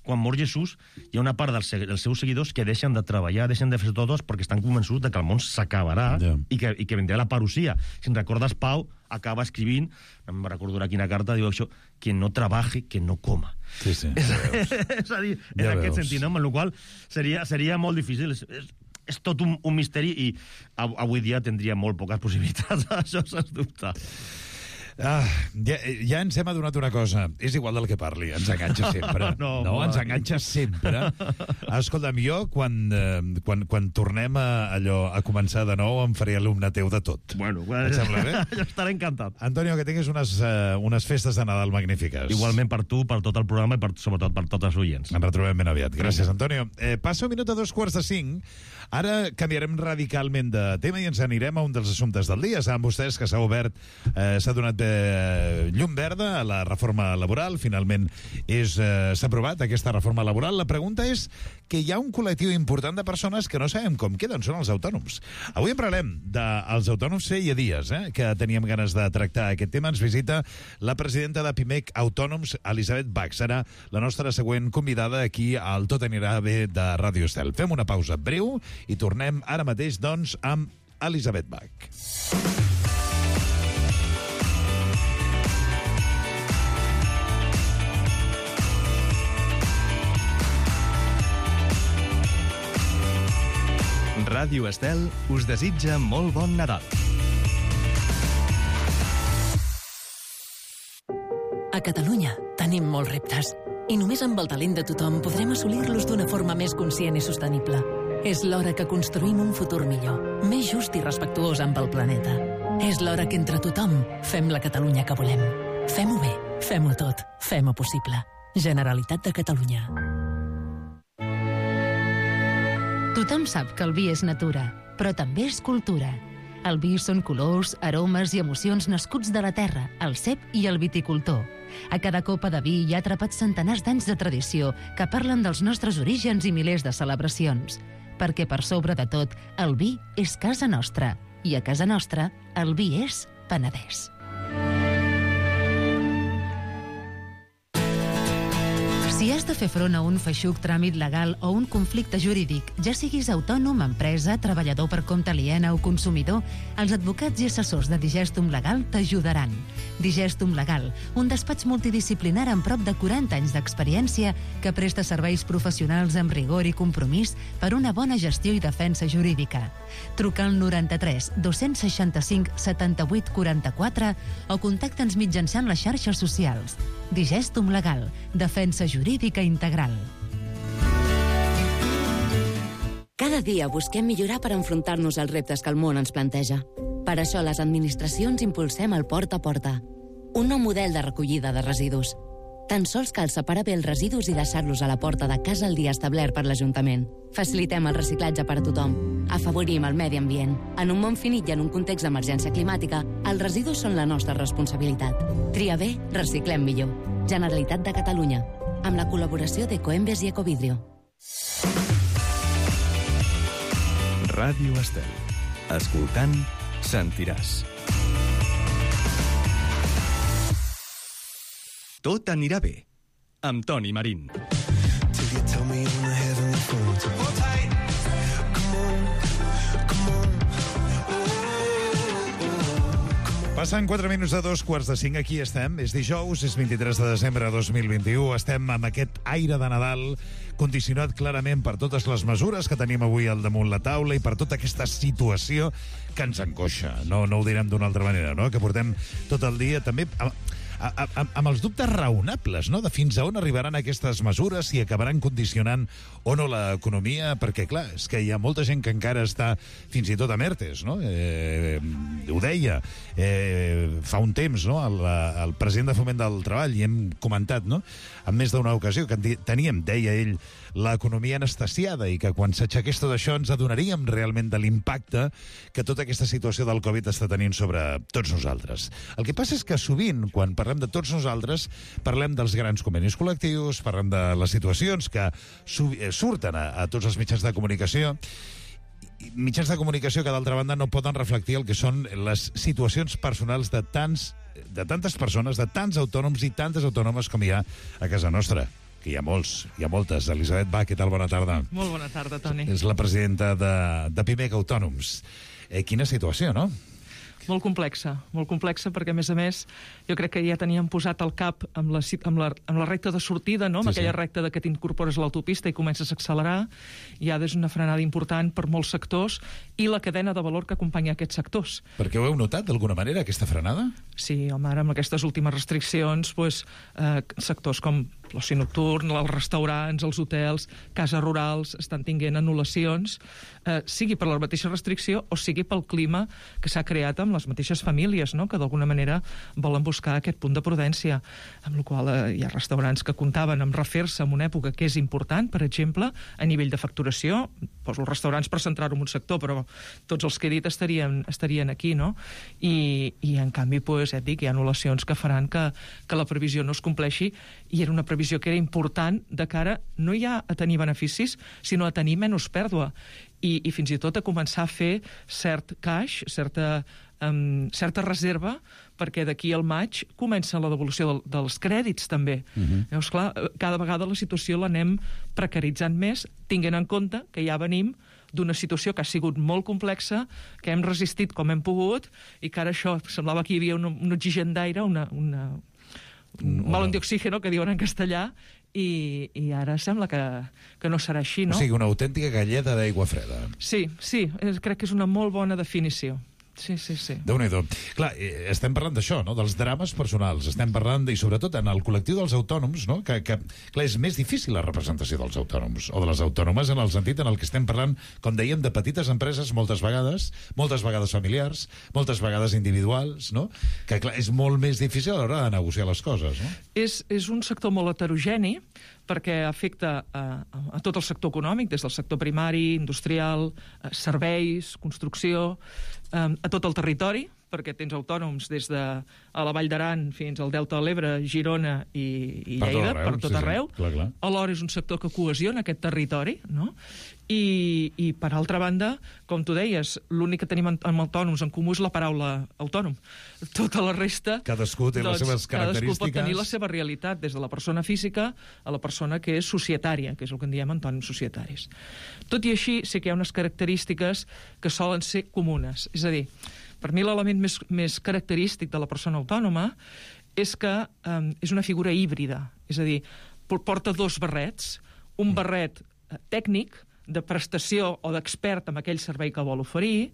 quan mor Jesús, hi ha una part dels seus seguidors que deixen de treballar, deixen de fer totes perquè estan convençuts de que el món s'acabarà i que vendrà la parusia. Si en recordes, Pau acaba escrivint, no em recordo quina carta, diu això, que no trebaje, que no coma. Sí. És a dir, en aquest sentit, amb la qual seria molt difícil. És tot un misteri i avui dia tindria molt poques possibilitats, això sens dubte. Ja ens hem adonat una cosa. És igual del que parli, ens enganxa sempre. No, ens enganxa sempre. Escolta'm, jo, quan tornem a començar de nou, em faré alumne teu de tot. Bueno, et sembla bé? Jo estaré encantat. Antonio, que tinguis unes festes de Nadal magnífiques. Igualment per tu, per tot el programa i sobretot per tots els oients. Ens retrobem ben aviat. Gràcies, Antonio. Passa un minut a 4:45. Ara canviarem radicalment de tema i ens anirem a un dels assumptes del dia. Saben vostès que s'ha donat llum verda a la reforma laboral. Finalment s'ha aprovat aquesta reforma laboral. La pregunta és que hi ha un col·lectiu important de persones que no sabem com queden, són els autònoms. Avui en parlem dels autònoms. Feia dies que teníem ganes de tractar aquest tema. Ens visita la presidenta de Pimec Autònoms, Elisabet Bach. Serà la nostra següent convidada aquí al Tot anirà bé de Ràdio Estel. Fem una pausa breu i tornem ara mateix, doncs, amb Elisabet Bach. Ràdio Estel us desitja molt bon Nadal. A Catalunya tenim molts reptes i només amb el talent de tothom podrem assolir-los d'una forma més conscient i sostenible. És l'hora que construïm un futur millor, més just i respectuós amb el planeta. És l'hora que entre tothom fem la Catalunya que volem. Fem-ho bé, fem-ho tot, fem-ho possible. Generalitat de Catalunya. Tothom sap que el vi és natura, però també és cultura. El vi són colors, aromes i emocions nascuts de la terra, el cep i el viticultor. A cada copa de vi hi ha atrapats centenars d'anys de tradició que parlen dels nostres orígens i milers de celebracions. Perquè per sobre de tot, el vi és casa nostra. I a casa nostra, el vi és Penedès. Si has de fer front a un feixuc tràmit legal o un conflicte jurídic, ja siguis autònom, empresa, treballador per compte aliena o consumidor, els advocats i assessors de Digestum Legal t'ajudaran. Digestum Legal, un despatx multidisciplinar amb prop de 40 anys d'experiència que presta serveis professionals amb rigor i compromís per una bona gestió i defensa jurídica. Truca al 93 265 78 44 o contacta'ns mitjançant les xarxes socials. Digestum Legal, defensa jurídica integral. Cada dia busquem millorar per enfrontar-nos als reptes que el món ens planteja. Per això les administracions impulsem el Porta a Porta, un nou model de recollida de residus. Tan sols cal separar bé els residus i deixar-los a la porta de casa el dia establert per l'Ajuntament. Facilitem el reciclatge per a tothom. Afavorim el medi ambient. En un món finit i en un context d'emergència climàtica, els residus són la nostra responsabilitat. Tria bé, reciclem millor. Generalitat de Catalunya. Amb la col·laboració d'Ecoembes i Ecovidrio. Ràdio Estel. Escoltant, sentiràs. Tot anirà bé, amb Toni Marín. Passen 4 minuts de 2:45, aquí estem. És dijous, és 23 de desembre de 2021. Estem amb aquest aire de Nadal condicionat clarament per totes les mesures que tenim avui al damunt la taula i per tota aquesta situació que ens angoixa. No ho direm d'una altra manera, no? Que portem tot el dia també amb els dubtes raonables, no?, de fins a on arribaran aquestes mesures, si acabaran condicionant o no l'economia, perquè, clar, és que hi ha molta gent que encara està fins i tot a ERTEs, no? Ho deia fa un temps, no?, el president de Foment del Treball, i hem comentat, no?, en més d'una ocasió, que teníem, deia ell, l'economia anestesiada i que quan s'aixequés tot això ens adonaríem realment de l'impacte que tota aquesta situació del Covid està tenint sobre tots nosaltres. El que passa és que sovint, quan parlem de tots nosaltres, parlem dels grans convenis col·lectius, parlem de les situacions que surten a tots els mitjans de comunicació, mitjans de comunicació que, d'altra banda, no poden reflectir el que són les situacions personals de tantes persones, de tants autònoms i tantes autònomes com hi ha a casa nostra, que hi ha molts, hi ha moltes. Elisabet Bach, què tal? Bona tarda. Molt bona tarda, Toni. És la presidenta de PIMEC Autònoms. Quina situació, no? Molt complexa, perquè, a més, jo crec que ja teníem posat el cap amb la recta de sortida, no? Amb aquella recta que t'incorpores a l'autopista i comences a accelerar. Ja és una frenada important per molts sectors i la cadena de valor que acompanya aquests sectors. Perquè ho heu notat, d'alguna manera, aquesta frenada? Sí, home, ara amb aquestes últimes restriccions, sectors com l'oci nocturn, els restaurants, els hotels, cases rurals, estan tinguent anul·lacions, sigui per la mateixa restricció o sigui pel clima que s'ha creat amb les mateixes famílies, no?, que d'alguna manera volen buscar aquest punt de prudència, amb la qual hi ha restaurants que comptaven amb refer-se en una època que és important, per exemple, a nivell de facturació. Poso els restaurants per centrar-ho en un sector, però tots els que he dit estarien aquí, no? I en canvi, et dic, hi ha anul·lacions que faran que la previsió no es compleixi, i era una previsió que era important de cara no ja a tenir beneficis, sinó a tenir menys pèrdua. I fins i tot a començar a fer cert cash, certa reserva, perquè d'aquí al maig comença la devolució dels crèdits, també. Llavors, clar, cada vegada la situació l'anem precaritzant més, tinguent en compte que ja venim d'una situació que ha sigut molt complexa, que hem resistit com hem pogut, i que ara això semblava que hi havia un oxigen d'aire, un balón d'oxígeno, que diuen en castellà, i ara sembla que no serà així, no? O sigui, una autèntica galleda d'aigua freda. Sí, crec que és una molt bona definició. Sí. Déu-n'hi-do. Clar, estem parlant d'això, no?, dels drames personals. Estem parlant, i sobretot en el col·lectiu dels autònoms, no?, que clar, és més difícil la representació dels autònoms, o de les autònomes, en el sentit en el que estem parlant, com dèiem, de petites empreses moltes vegades familiars, moltes vegades individuals, no?, que clar, és molt més difícil a l'hora de negociar les coses, no? És un sector molt heterogeni, perquè afecta a tot el sector econòmic, des del sector primari, industrial, serveis, construcció, a tot el territori, perquè tens autònoms des de la Vall d'Aran fins al Delta de l'Ebre, Girona i Lleida, per tot arreu. Clar. Alhora és un sector que cohesiona aquest territori, no? I per altra banda, com tu deies, l'únic que tenim amb autònoms en comú és la paraula autònom. Tota la resta... Cadascú té les seves característiques. Cadascú pot tenir la seva realitat, des de la persona física a la persona que és societària, que és el que en diem autònoms societaris. Tot i així, sí que hi ha unes característiques que solen ser comunes. És a dir, per mi l'element més característic de la persona autònoma és que és una figura híbrida. És a dir, porta dos barrets, un barret tècnic, de prestació o d'expert en aquell servei que vol oferir,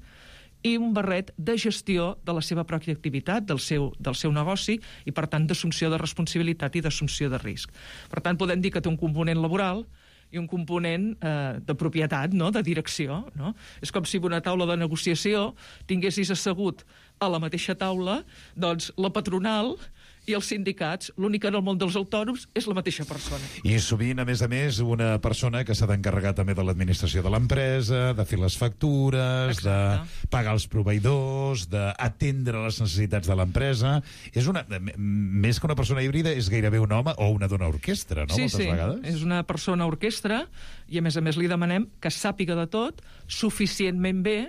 i un barret de gestió de la seva pròpia activitat, del seu negoci, i per tant d'assumpció de responsabilitat i d'assumpció de risc. Per tant, podem dir que té un component laboral i un component de propietat, no?, de direcció. No? És com si en una taula de negociació tinguessis assegut a la mateixa taula doncs, la patronal i els sindicats. L'únic en el món dels autònoms és la mateixa persona. I sovint, a més, una persona que s'ha d'encarregar també de l'administració de l'empresa, de fer les factures, de pagar els proveïdors, d'atendre les necessitats de l'empresa. Més que una persona híbrida, és gairebé un home o una dona orquestra, no? Moltes vegades. És una persona orquestra i, a més li demanem que sàpiga de tot suficientment bé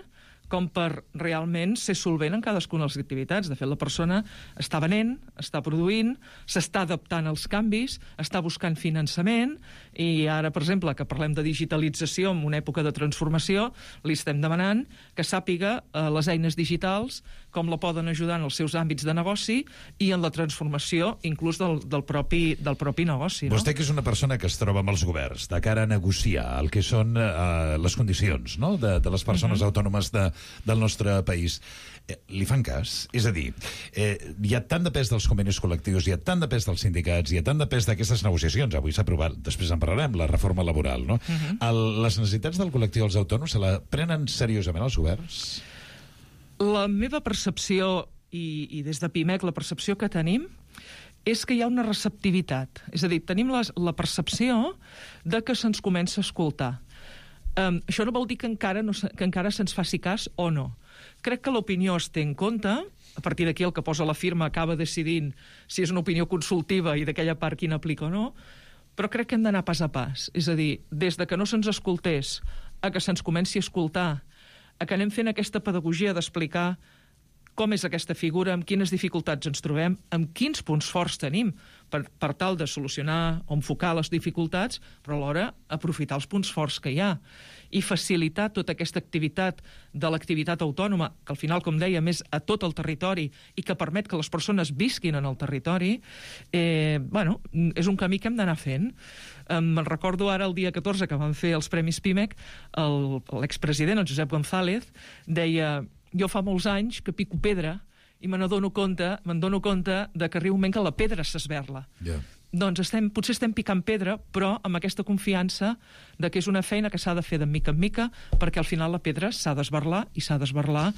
com per realment ser solvent en cadascuna de les activitats. De fet, la persona està venent, està produint, s'està adaptant als canvis, està buscant finançament, i ara, per exemple, que parlem de digitalització en una època de transformació, li estem demanant que sàpiga les eines digitals, com la poden ajudar en els seus àmbits de negoci i en la transformació inclús del propi negoci. Vostè, que és una persona que es troba amb els governs de cara a negociar el que són les condicions, no?, de les persones autònomes del nostre país, li fan cas? És a dir, hi ha tant de pes dels convenis col·lectius, hi ha tant de pes dels sindicats, hi ha tant de pes d'aquestes negociacions, avui s'ha aprovat, després en parlarem, la reforma laboral, no? Les necessitats del col·lectiu dels autònoms se la prenen seriosament els governs? La meva percepció, i des de PIMEC la percepció que tenim, és que hi ha una receptivitat. És a dir, tenim la percepció de que se'ns comença a escoltar. Això no vol dir que encara se'ns faci cas o no. Crec que l'opinió es té en compte, a partir d'aquí el que posa la firma acaba decidint si és una opinió consultiva i d'aquella part quina aplica o no, però crec que hem d'anar pas a pas. És a dir, des de que no se'ns escoltés a que se'ns comenci a escoltar, a que anem fent aquesta pedagogia d'explicar com és aquesta figura, amb quines dificultats ens trobem, amb quins punts forts tenim per tal de solucionar o enfocar les dificultats, però alhora aprofitar els punts forts que hi ha i facilitar tota aquesta activitat de l'activitat autònoma, que al final, com dèiem, és a tot el territori i que permet que les persones visquin en el territori, és un camí que hem d'anar fent. Me'n recordo ara el dia 14 que van fer els Premis PIMEC, l'expresident, el Josep González, deia: jo fa molts anys que pico pedra i me'n dono compte de que arriba un moment que la pedra s'esberla. Doncs potser estem picant pedra, però amb aquesta confiança de que és una feina que s'ha de fer de mica en mica, perquè al final la pedra s'ha d'esberlar, i s'ha d'esberlar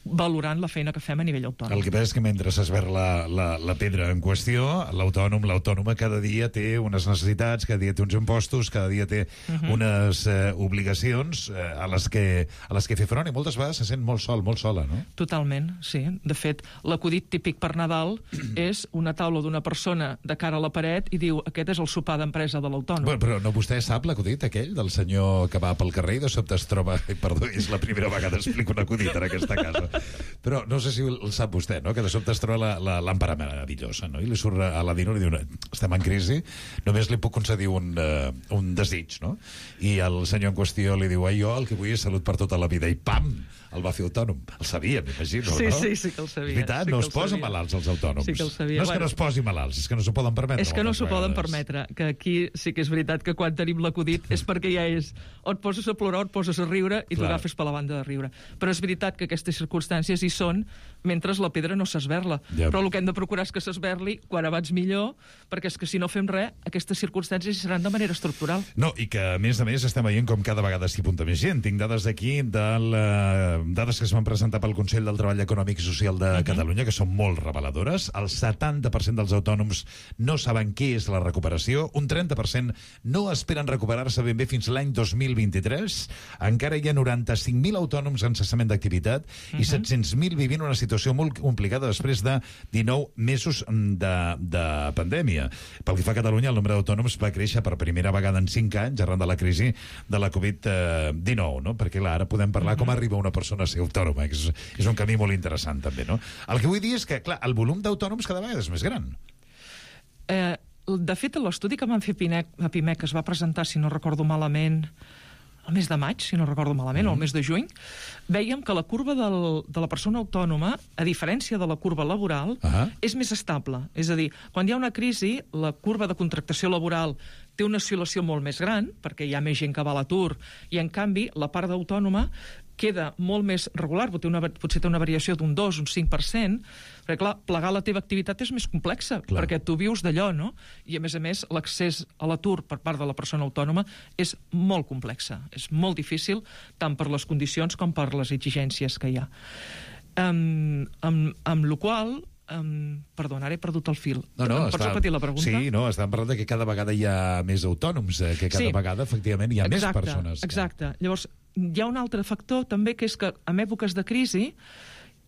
valorant la feina que fem a nivell autònom. El que passa és que mentre s'esberla la pedra en qüestió, l'autònoma cada dia té unes necessitats, cada dia té uns impostos, cada dia té unes obligacions a les que fer front, i moltes vegades se sent molt sola, no? Totalment, sí. De fet, l'acudit típic per Nadal és una taula d'una persona de cara a la paret i diu: aquest és el sopar d'empresa de l'autònom. Però no, vostè sap l'acudit aquell del senyor que va pel carrer i de sobte es troba... Perdó, és la primera vegada que explico un acudit en aquesta casa. Però no sé si el sap vostè, no?, que de sobte es troba la làmpara meravellosa, no?, i li surt a la Dino i li diu: estem en crisi, només li puc concedir un desig, no? I el senyor en qüestió li diu: jo el que vull és salut per tota la vida, i pam, el va fer autònom. El sabia, m'imagino, no? Sí que el sabia. És veritat, no es posen malalts els autònoms. Sí que el sabia. No és que no es posin malalts, és que no s'ho poden permetre. És que no s'ho poden permetre, que aquí sí que és veritat que quan tenim l'acudit és perquè ja és o et poses a plorar o et poses a riure i t'ho agafes per la banda de riure. Però és veritat que aquestes circumstàncies hi són mentre la pedra no s'esberla. Però el que hem de procurar és que s'esberli quan abans millor, perquè és que si no fem res, aquestes circumstàncies hi seran de manera estructural. No, i que a més estem veient com cada vegada s'hi apunta més gent. Tinc dades d'aquí, dades que es van presentar pel Consell del Treball Econòmic i Social de Catalunya, que són molt reveladores. El 70% dels autònoms no saben què és la recuperació, un 30% no esperen recuperar-se ben bé fins l'any 2023, encara hi ha 95.000 autònoms en cessament d'activitat i 700.000 vivint una situació molt complicada després de 19 mesos de pandèmia. Pel que fa a Catalunya, el nombre d'autònoms va créixer per primera vegada en 5 anys arran de la crisi de la Covid-19, no? Perquè clar, ara podem parlar com arriba una persona a ser autònoma, que és un camí molt interessant també, no? El que vull dir és que, clar, el volum d'autònoms cada vegada és més gran. De fet, l'estudi que van fer a PIMEC, que es va presentar, si no recordo malament, el mes de maig, si no recordo malament, o el mes de juny, vèiem que la curva de la persona autònoma, a diferència de la curva laboral, és més estable. És a dir, quan hi ha una crisi, la curva de contractació laboral té una oscil·lació molt més gran, perquè hi ha més gent que va a l'atur, i en canvi la part d'autònoma queda molt més regular, potser té una variació d'un 2, un 5%, perquè clar, plegar la teva activitat és més complexa, perquè tu vius d'allò, no? I a més, l'accés a l'atur per part de la persona autònoma és molt complexa, és molt difícil, tant per les condicions com per les exigències que hi ha. Amb la qual perdona, ara he perdut el fil. Pots repetir la pregunta? Sí, estàvem parlant que cada vegada hi ha més autònoms, que cada vegada, efectivament, hi ha més persones. Exacte. Llavors, hi ha un altre factor també, que és que en èpoques de crisi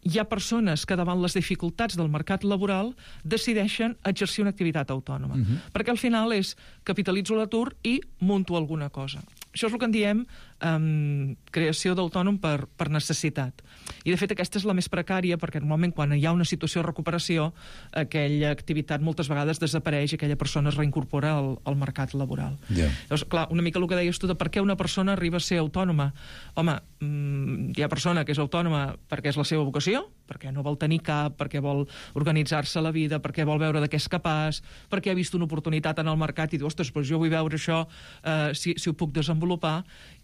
hi ha persones que davant les dificultats del mercat laboral decideixen exercir una activitat autònoma. Perquè al final és capitalitzo l'atur i munto alguna cosa. Això és el que en diem creació d'autònom per necessitat. I, de fet, aquesta és la més precària, perquè normalment quan hi ha una situació de recuperació, aquella activitat moltes vegades desapareix i aquella persona es reincorpora al mercat laboral. Llavors, clar, una mica el que deies tu de per què una persona arriba a ser autònoma. Home, hi ha persona que és autònoma perquè és la seva vocació, perquè no vol tenir cap, perquè vol organitzar-se la vida, perquè vol veure de què és capaç, perquè ha vist una oportunitat en el mercat i diu, ostres, doncs jo vull veure això, si ho puc desenvolupar.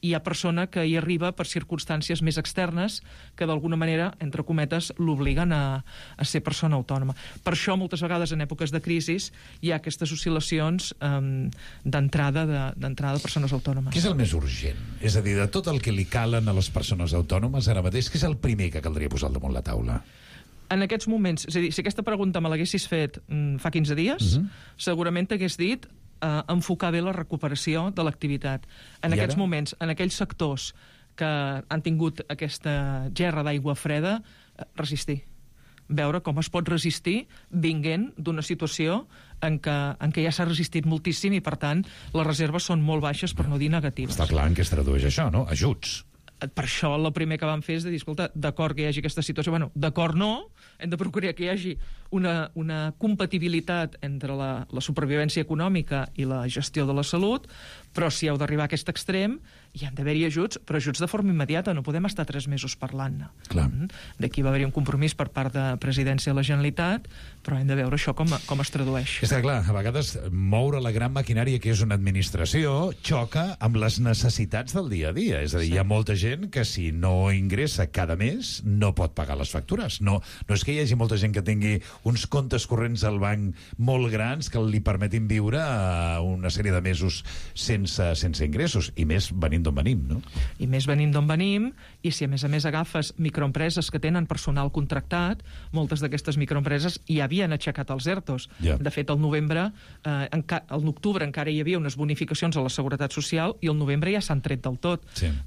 I hi ha persona que hi arriba per circumstàncies més externes que d'alguna manera, entre cometes, l'obliguen a ser persona autònoma. Per això, moltes vegades, en èpoques de crisi, hi ha aquestes oscil·lacions d'entrada de persones autònomes. Què és el més urgent? És a dir, de tot el que li calen a les persones autònomes ara mateix, què és el primer que caldria posar al damunt la taula? En aquests moments, és a dir, si aquesta pregunta me l'haguessis fet fa 15 dies, segurament t'hagués dit enfocar bé la recuperació de l'activitat. En aquests moments, en aquells sectors que han tingut aquesta gerra d'aigua freda, resistir. Veure com es pot resistir vinguent d'una situació en què ja s'ha resistit moltíssim i, per tant, les reserves són molt baixes, per no dir negatives. Està clar en què es tradueix això, no? Ajuts. Per això el primer que vam fer és de dir, escolta, d'acord que hi hagi aquesta situació, bueno, d'acord no, hem de procurar que hi hagi una compatibilitat entre la supervivència econòmica i la gestió de la salut, però si heu d'arribar a aquest extrem, hi han d'haver-hi ajuts, però ajuts de forma immediata, no podem estar 3 mesos parlant-ne. D'aquí va haver-hi un compromís per part de Presidència de la Generalitat, però hem de veure això com es tradueix. És que, clar, a vegades moure la gran maquinària que és una administració xoca amb les necessitats del dia a dia. És a dir, hi ha molta gent que si no ingressa cada mes no pot pagar les factures. No és que hi hagi molta gent que tingui uns comptes corrents al banc molt grans que li permetin viure una sèrie de mesos sense ingressos, i més venint d'on venim, no? I més venint d'on venim, i si a més agafes microempreses que tenen personal contractat, moltes d'aquestes microempreses ja havien aixecat els ERTOs. De fet, al l'octubre encara hi havia unes bonificacions a la Seguretat Social i al novembre ja s'han tret del tot.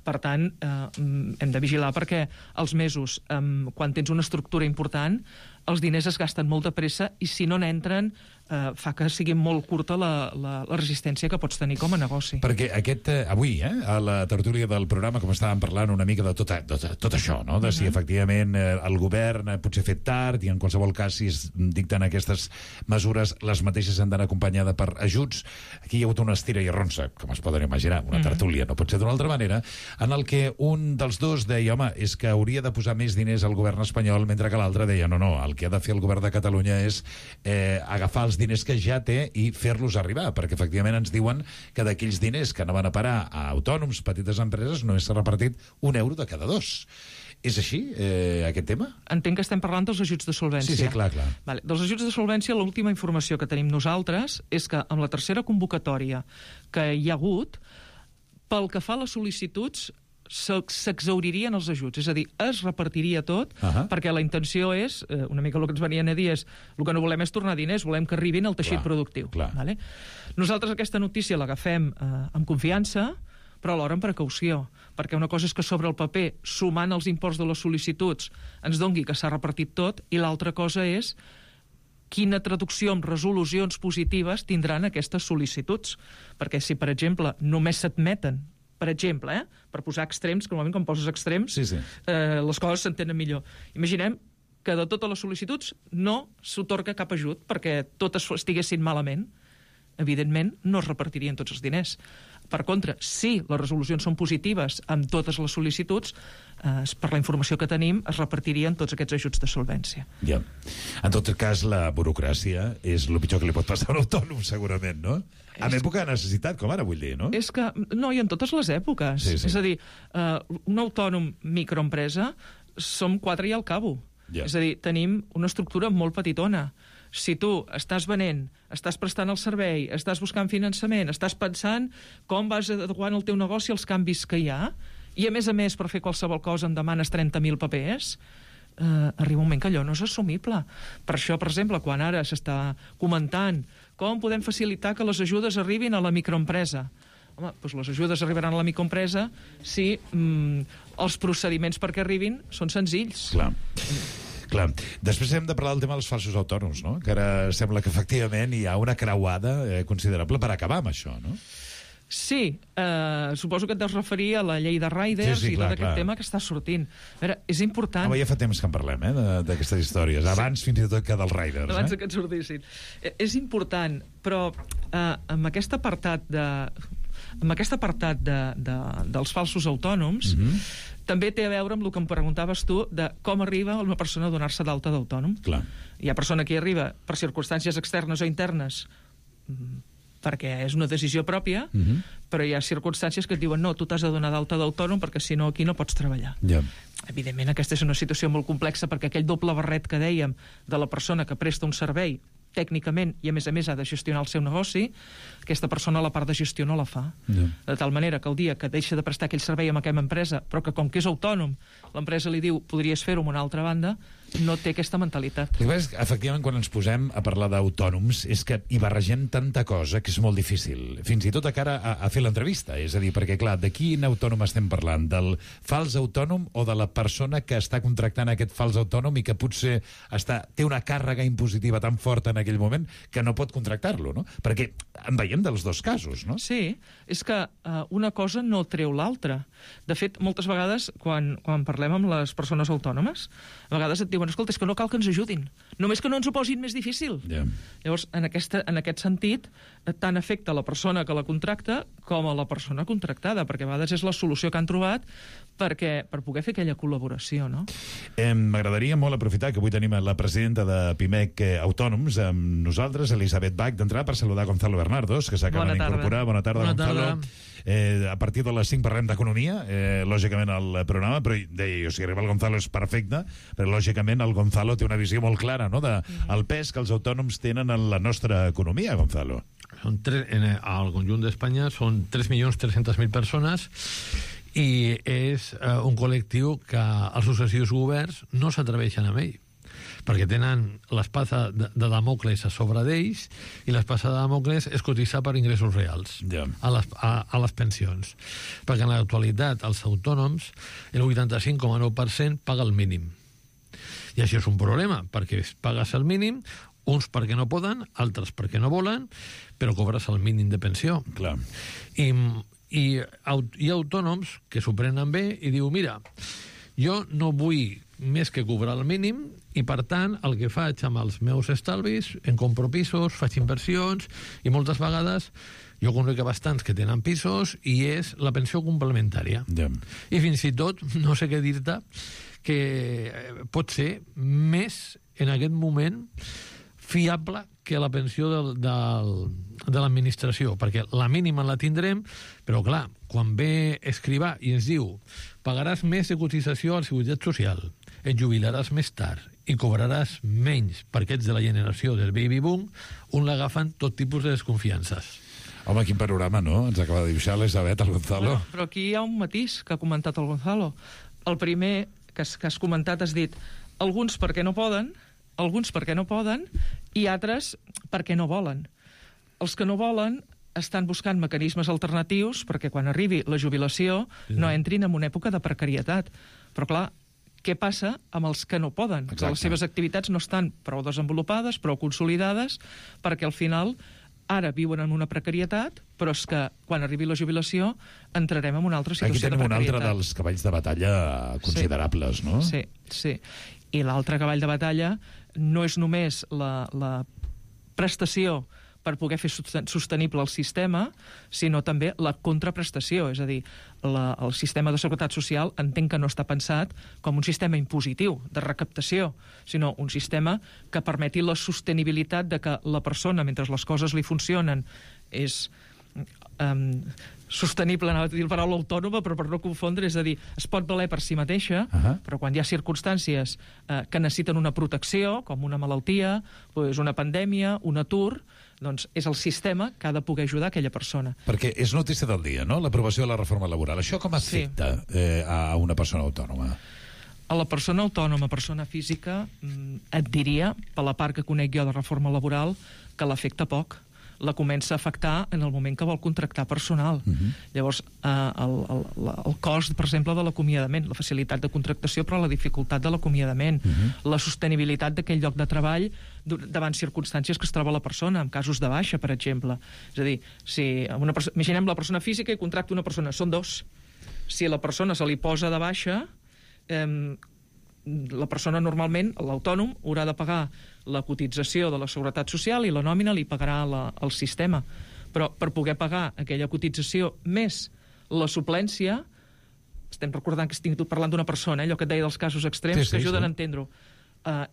Per tant, hem de vigilar perquè els mesos, quan tens una estructura important, els diners es gasten molt de pressa i si no n'entren fa que sigui molt curta la resistència que pots tenir com a negoci. Perquè avui, a la tertúlia del programa, com estàvem parlant una mica de tot això, no? De si efectivament el govern potser ha fet tard i en qualsevol cas si es dicten aquestes mesures, les mateixes han d'anar acompanyades per ajuts. Aquí hi ha hagut una estira i arronsa, com es poden imaginar, una tertúlia, no pot ser d'una altra manera, en el que un dels dos deia, home, és que hauria de posar més diners al govern espanyol, mentre que l'altre deia, no, el que ha de fer el govern de Catalunya és agafar els diners que ja té i fer-los arribar, perquè efectivament ens diuen que d'aquells diners que no van a parar a autònoms, petites empreses, només s'ha repartit €1 de cada 2. És així, aquest tema? Entenc que estem parlant dels ajuts de solvència. Sí, clar. Vale. Dels ajuts de solvència, l'última informació que tenim nosaltres és que amb la tercera convocatòria que hi ha hagut, pel que fa a les sol·licituds, s'exauririen els ajuts, és a dir, es repartiria tot, perquè la intenció és, una mica el que ens venien a dir és, el que no volem és tornar diners, volem que arribin al teixit productiu. Vale? Nosaltres aquesta notícia l'agafem amb confiança, però alhora amb precaució, perquè una cosa és que sobre el paper, sumant els imports de les sol·licituds, ens dongui que s'ha repartit tot, i l'altra cosa és quina traducció amb resolucions positives tindran aquestes sol·licituds. Perquè si, per exemple, només s'admeten, per exemple, per posar extrems, que normalment quan poses extrems les coses s'entenen millor. Imaginem que de totes les sol·licituds no s'atorga cap ajut perquè totes estiguessin malament. Evidentment, no es repartirien tots els diners. Per contra, si les resolucions són positives amb totes les sol·licituds, per la informació que tenim, es repartirien tots aquests ajuts de solvència. En tot cas, la burocràcia és el pitjor que li pot passar a un autònom, segurament, no? En època de necessitat, com ara, vull dir, no? És que, no, i en totes les èpoques. És a dir, un autònom microempresa som 4 i al cabo. És a dir, tenim una estructura molt petitona. Si tu estàs venent, estàs prestant el servei, estàs buscant finançament, estàs pensant com vas adequant el teu negoci als canvis que hi ha, i a més, per fer qualsevol cosa em demanes 30.000 papers, arriba un moment que allò no és assumible. Per això, per exemple, quan ara s'està comentant com podem facilitar que les ajudes arribin a la microempresa, home, doncs les ajudes arribaran a la microempresa si els procediments perquè arribin són senzills. Clar. Després hem de parlar del tema dels falsos autònoms, no? Que ara sembla que efectivament hi ha una creuada considerable per acabar amb això, no? Sí, suposo que et deus referir a la llei de Riders i tot aquest tema que està sortint. A veure, és important... Home, ja fa temps que en parlem, d'aquestes històries. Abans, fins i tot, que dels Riders. Abans que et sortissin. És important, però amb aquest apartat dels falsos autònoms, també té a veure amb el que em preguntaves tu de com arriba una persona a donar-se d'alta d'autònom. Clar. Hi ha persona que hi arriba per circumstàncies externes o internes perquè és una decisió pròpia, però hi ha circumstàncies que et diuen no, tu t'has de donar d'alta d'autònom perquè si no aquí no pots treballar. Evidentment aquesta és una situació molt complexa perquè aquell doble barret que dèiem de la persona que presta un servei tècnicament i a més ha de gestionar el seu negoci, aquesta persona la part de gestió no la fa. De tal manera que el dia que deixa de prestar aquell servei amb aquella empresa, però que com que és autònom, l'empresa li diu podries fer-ho amb una altra banda, no té aquesta mentalitat. Efectivament, quan ens posem a parlar d'autònoms és que hi barregem tanta cosa que és molt difícil, fins i tot a cara a fer l'entrevista. És a dir, perquè clar, de quin autònom estem parlant? Del fals autònom o de la persona que està contractant aquest fals autònom i que potser té una càrrega impositiva tan forta en aquell moment que no pot contractar-lo, no? Perquè en veiem dels dos casos, no? Sí, és que una cosa no treu l'altra. De fet, moltes vegades, quan parlem amb les persones autònomes, a vegades et diuen, escolta, és que no cal que ens ajudin, només que no ens ho posin més difícil. Llavors, en aquest sentit, tant afecta a la persona que la contracta com a la persona contractada, perquè a vegades és la solució que han trobat per poder fer aquella col·laboració, no? M'agradaria molt aprofitar que avui tenim la presidenta de PIMEC Autònoms amb nosaltres, Elisabet Bach, d'entrar per saludar Gonzalo Bernardos, que s'acaba d'incorporar. Bona tarda, Gonzalo. A partir de les 5 parlem d'economia, lògicament al programa, però deia, si arriba el Gonzalo és perfecte, però lògicament el Gonzalo té una visió molt clara, no?, del pes que els autònoms tenen en la nostra economia, Gonzalo. Al conjunt d'Espanya són 3.300.000 persones i és un col·lectiu que els successius governs no s'atreveixen amb ell, perquè tenen l'espasa de Damocles a sobre d'ells i l'espasa de Damocles és cotitzar per ingressos reals a les pensions, perquè en l'actualitat els autònoms el 85,9% paga el mínim i això és un problema, perquè pagues el mínim, uns perquè no poden, altres perquè no volen, però cobres el mínim de pensió. Clar. I hi ha autònoms que s'ho prenen bé i diu, mira, jo no vull més que cobrar el mínim i, per tant, el que faig amb els meus estalvis, en compro pisos, faig inversions i moltes vegades jo conec bastants que tenen pisos i és la pensió complementària. I fins i tot, no sé què dir-te, que pot ser més, en aquest moment, fiable que la pensió de l'administració, perquè la mínima la tindrem, però clar, quan ve Escrivà i ens diu pagaràs més de cotització a la Seguretat Social, et jubilaràs més tard i cobraràs menys perquè ets de la generació del baby boom, un l'agafen tot tipus de desconfiances. Home, quin panorama, no? Ens acaba de dibuixar l'Elisabet, el Gonzalo. Però aquí hi ha un matís que ha comentat el Gonzalo. El primer que has comentat has dit alguns perquè no poden, alguns perquè no poden i altres perquè no volen. Els que no volen estan buscant mecanismes alternatius perquè quan arribi la jubilació no entrin en una època de precarietat. Però clar, què passa amb els que no poden? Que les seves activitats no estan prou desenvolupades, prou consolidades, perquè al final ara viuen en una precarietat, però és que quan arribi la jubilació entrarem en una altra situació de precarietat. Aquí tenim un altre dels cavalls de batalla considerables, no? Sí. I l'altre cavall de batalla no és només la prestació per poder fer sostenible el sistema, sinó també la contraprestació. És a dir, el sistema de seguretat social entenc que no està pensat com un sistema impositiu de recaptació, sinó un sistema que permeti la sostenibilitat de que la persona, mentre les coses li funcionen, és sostenible, anava a dir la paraula autònoma, però per no confondre, és a dir, es pot valer per si mateixa, però quan hi ha circumstàncies que necessiten una protecció, com una malaltia, una pandèmia, un atur, doncs és el sistema que ha de poder ajudar aquella persona. Perquè és notícia del dia, no?, l'aprovació de la reforma laboral. Això com afecta a una persona autònoma? A la persona autònoma, persona física, et diria, per la part que conec jo de reforma laboral, que l'afecta poc, la comença a afectar en el moment que vol contractar personal. Llavors, el cost, per exemple, de l'acomiadament, la facilitat de contractació, però la dificultat de l'acomiadament, la sostenibilitat d'aquell lloc de treball davant circumstàncies que es troba la persona, en casos de baixa, per exemple. És a dir, si imaginem la persona física i contracta una persona, són dos. Si la persona se li posa de baixa, la persona normalment, l'autònom, haurà de pagar la cotització de la Seguretat Social i la nòmina li pagarà el sistema. Però per poder pagar aquella cotització més la suplència, estem recordant que estic parlant d'una persona, allò que et deia dels casos extrems, que ajuden a entendre-ho.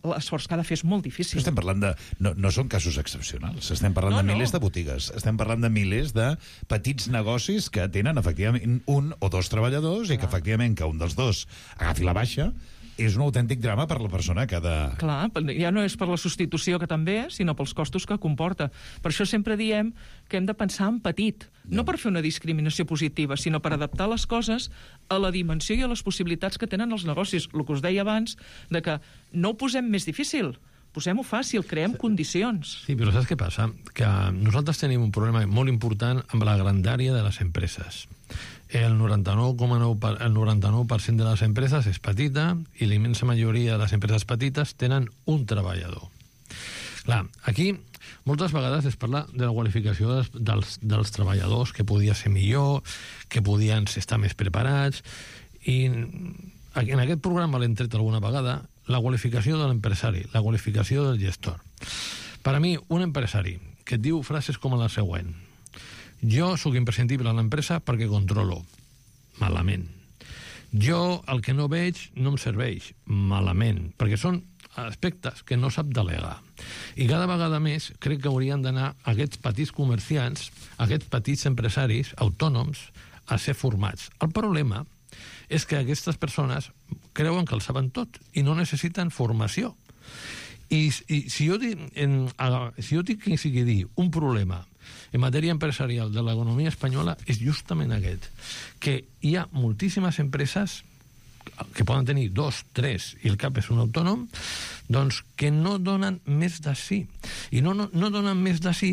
L'esforç que ha de fer és molt difícil. Estem parlant de... No són casos excepcionals. Estem parlant de milers de botigues. Estem parlant de milers de petits negocis que tenen, efectivament, un o dos treballadors i que, efectivament, que un dels dos agafi la baixa és un autèntic drama per la persona que ha de... Clar, ja no és per la substitució, que també, sinó pels costos que comporta. Per això sempre diem que hem de pensar en petit, no per fer una discriminació positiva, sinó per adaptar les coses a la dimensió i a les possibilitats que tenen els negocis. El que us deia abans, de que no ho posem més difícil, posem-ho fàcil, creem condicions. Sí, però saps què passa? Que nosaltres tenim un problema molt important amb la grandària de les empreses. El 99% de les empreses és petita i la immensa majoria de les empreses petites tenen un treballador. Clar, aquí moltes vegades es parla de la qualificació dels treballadors, que podia ser millor, que podien estar més preparats, i en aquest programa l'hem tret alguna vegada, la qualificació de l'empresari, la qualificació del gestor. Per a mi, un empresari que et diu frases com la següent: jo sóc imprescindible a l'empresa perquè controlo. Malament. Jo el que no veig no em serveix. Malament. Perquè són aspectes que no sap delegar. I cada vegada més crec que haurien d'anar aquests petits comerciants, aquests petits empresaris autònoms, a ser formats. El problema és que aquestes persones creuen que el saben tot i no necessiten formació. I si jo dic que sigui dir un problema en matèria empresarial de l'economia espanyola és justament aquest, que hi ha moltíssimes empreses que poden tenir 2, 3 i el cap és un autònom, doncs que no donen més de sí. I no donen més de sí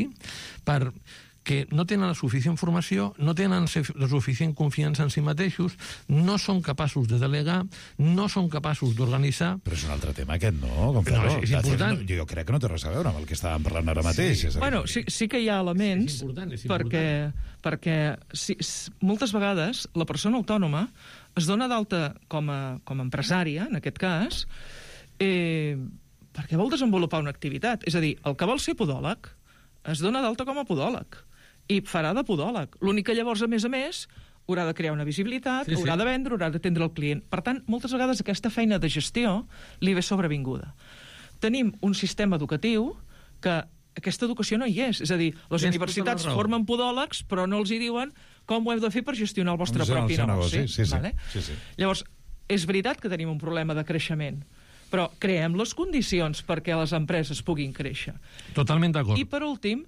perquè no tenen la suficient formació, no tenen la suficient confiança en si mateixos, no són capaços de delegar, no són capaços d'organitzar... Però és un altre tema aquest, no? No, és important. Jo crec que no té res a veure amb el que estàvem parlant ara mateix. Sí. Bueno, sí que hi ha elements, és important. perquè moltes vegades la persona autònoma es dona d'alta com a empresària, en aquest cas, perquè vol desenvolupar una activitat. És a dir, el que vol ser podòleg es dona d'alta com a podòleg i farà de podòleg. L'únic que llavors, a més, haurà de crear una visibilitat, haurà de vendre, haurà d'atendre el client. Per tant, moltes vegades aquesta feina de gestió li ve sobrevinguda. Tenim un sistema educatiu que aquesta educació no hi és. És a dir, les universitats formen podòlegs, però no els hi diuen com ho heu de fer per gestionar el vostre propi negoci. Sí. Llavors, és veritat que tenim un problema de creixement, però creem les condicions perquè les empreses puguin créixer. Totalment d'acord. I, per últim,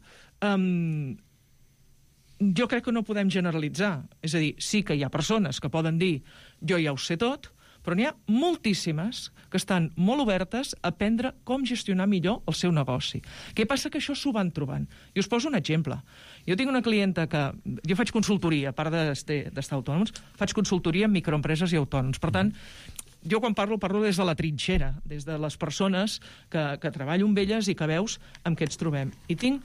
jo crec que no podem generalitzar. És a dir, sí que hi ha persones que poden dir jo ja ho sé tot, però n'hi ha moltíssimes que estan molt obertes a aprendre com gestionar millor el seu negoci. Què passa? Que això s'ho van trobant. I us poso un exemple. Jo tinc una clienta que... Jo faig consultoria, a part d'estar autònoms, faig consultoria en microempreses i autònoms. Per tant, jo quan parlo des de la trinxera, des de les persones que treballo amb elles i que veus amb què ens trobem. I tinc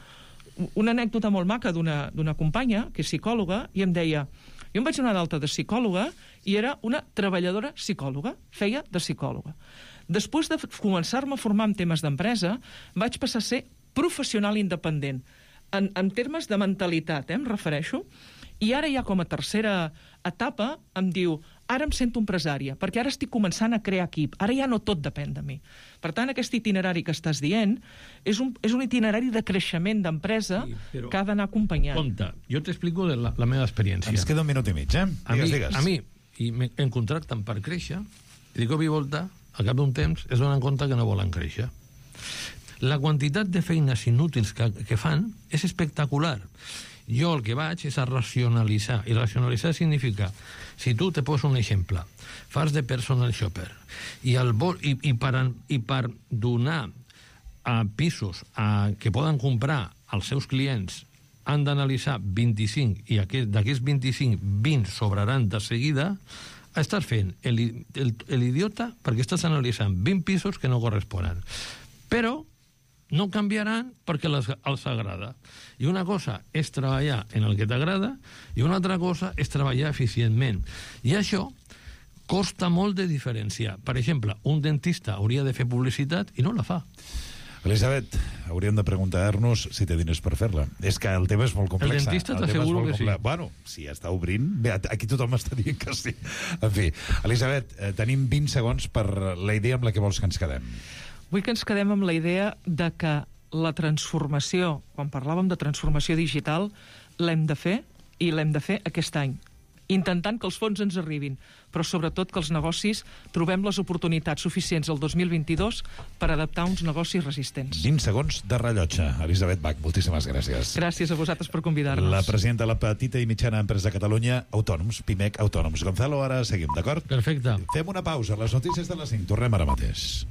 una anècdota molt maca d'una companya, que és psicòloga, i em deia... Jo em vaig donar d'alta de psicòloga i era una treballadora psicòloga, feia de psicòloga. Després de començar-me a formar en temes d'empresa, vaig passar a ser professional independent. En termes de mentalitat, em refereixo, i ara ja com a tercera etapa em diu, ara em sento empresària, perquè ara estic començant a crear equip, ara ja no tot depèn de mi. Per tant, aquest itinerari que estàs dient és un itinerari de creixement d'empresa que ha d'anar acompanyant. Compte, jo t'explico la meva experiència. Ens queda un minut i mig, Digues. A mi em contracten per créixer, i de cop i volta, al cap d'un temps, es donen compte que no volen créixer. La quantitat de feines inútils que fan és espectacular. Jo el que vaig és a racionalitzar, i racionalitzar significa, si tu te poso un exemple, fas de personal shopper, i per donar pisos que poden comprar als seus clients han d'analitzar 25 i d'aquests 25, 20 sobraran de seguida, estàs fent l'idiota perquè estàs analitzant 20 pisos que no corresponen. Però no canviaran perquè els agrada. I una cosa és treballar en el que t'agrada i una altra cosa és treballar eficientment. I això costa molt de diferenciar. Per exemple, un dentista hauria de fer publicitat i no la fa. Elisabet, hauríem de preguntar-nos si té diners per fer-la. És que el tema és molt complex. El dentista t'asseguro que sí. Bueno, si està obrint, bé, aquí tothom està dient que sí. En fi, Elisabet, tenim 20 segons per la idea amb la que vols que ens quedem. Vull que ens quedem amb la idea de que la transformació, quan parlàvem de transformació digital, l'hem de fer i l'hem de fer aquest any, intentant que els fons ens arribin, però sobretot que els negocis trobem les oportunitats suficients el 2022 per adaptar uns negocis resistents. 20 segons de rellotge. Elisabet Bach, moltíssimes gràcies. Gràcies a vosaltres per convidar-nos. La presidenta de la petita i mitjana empresa de Catalunya, Autònoms, PIMEC Autònoms. Gonzalo, ara seguim, d'acord? Perfecte. Fem una pausa. Les notícies de les 5. Tornem ara mateix.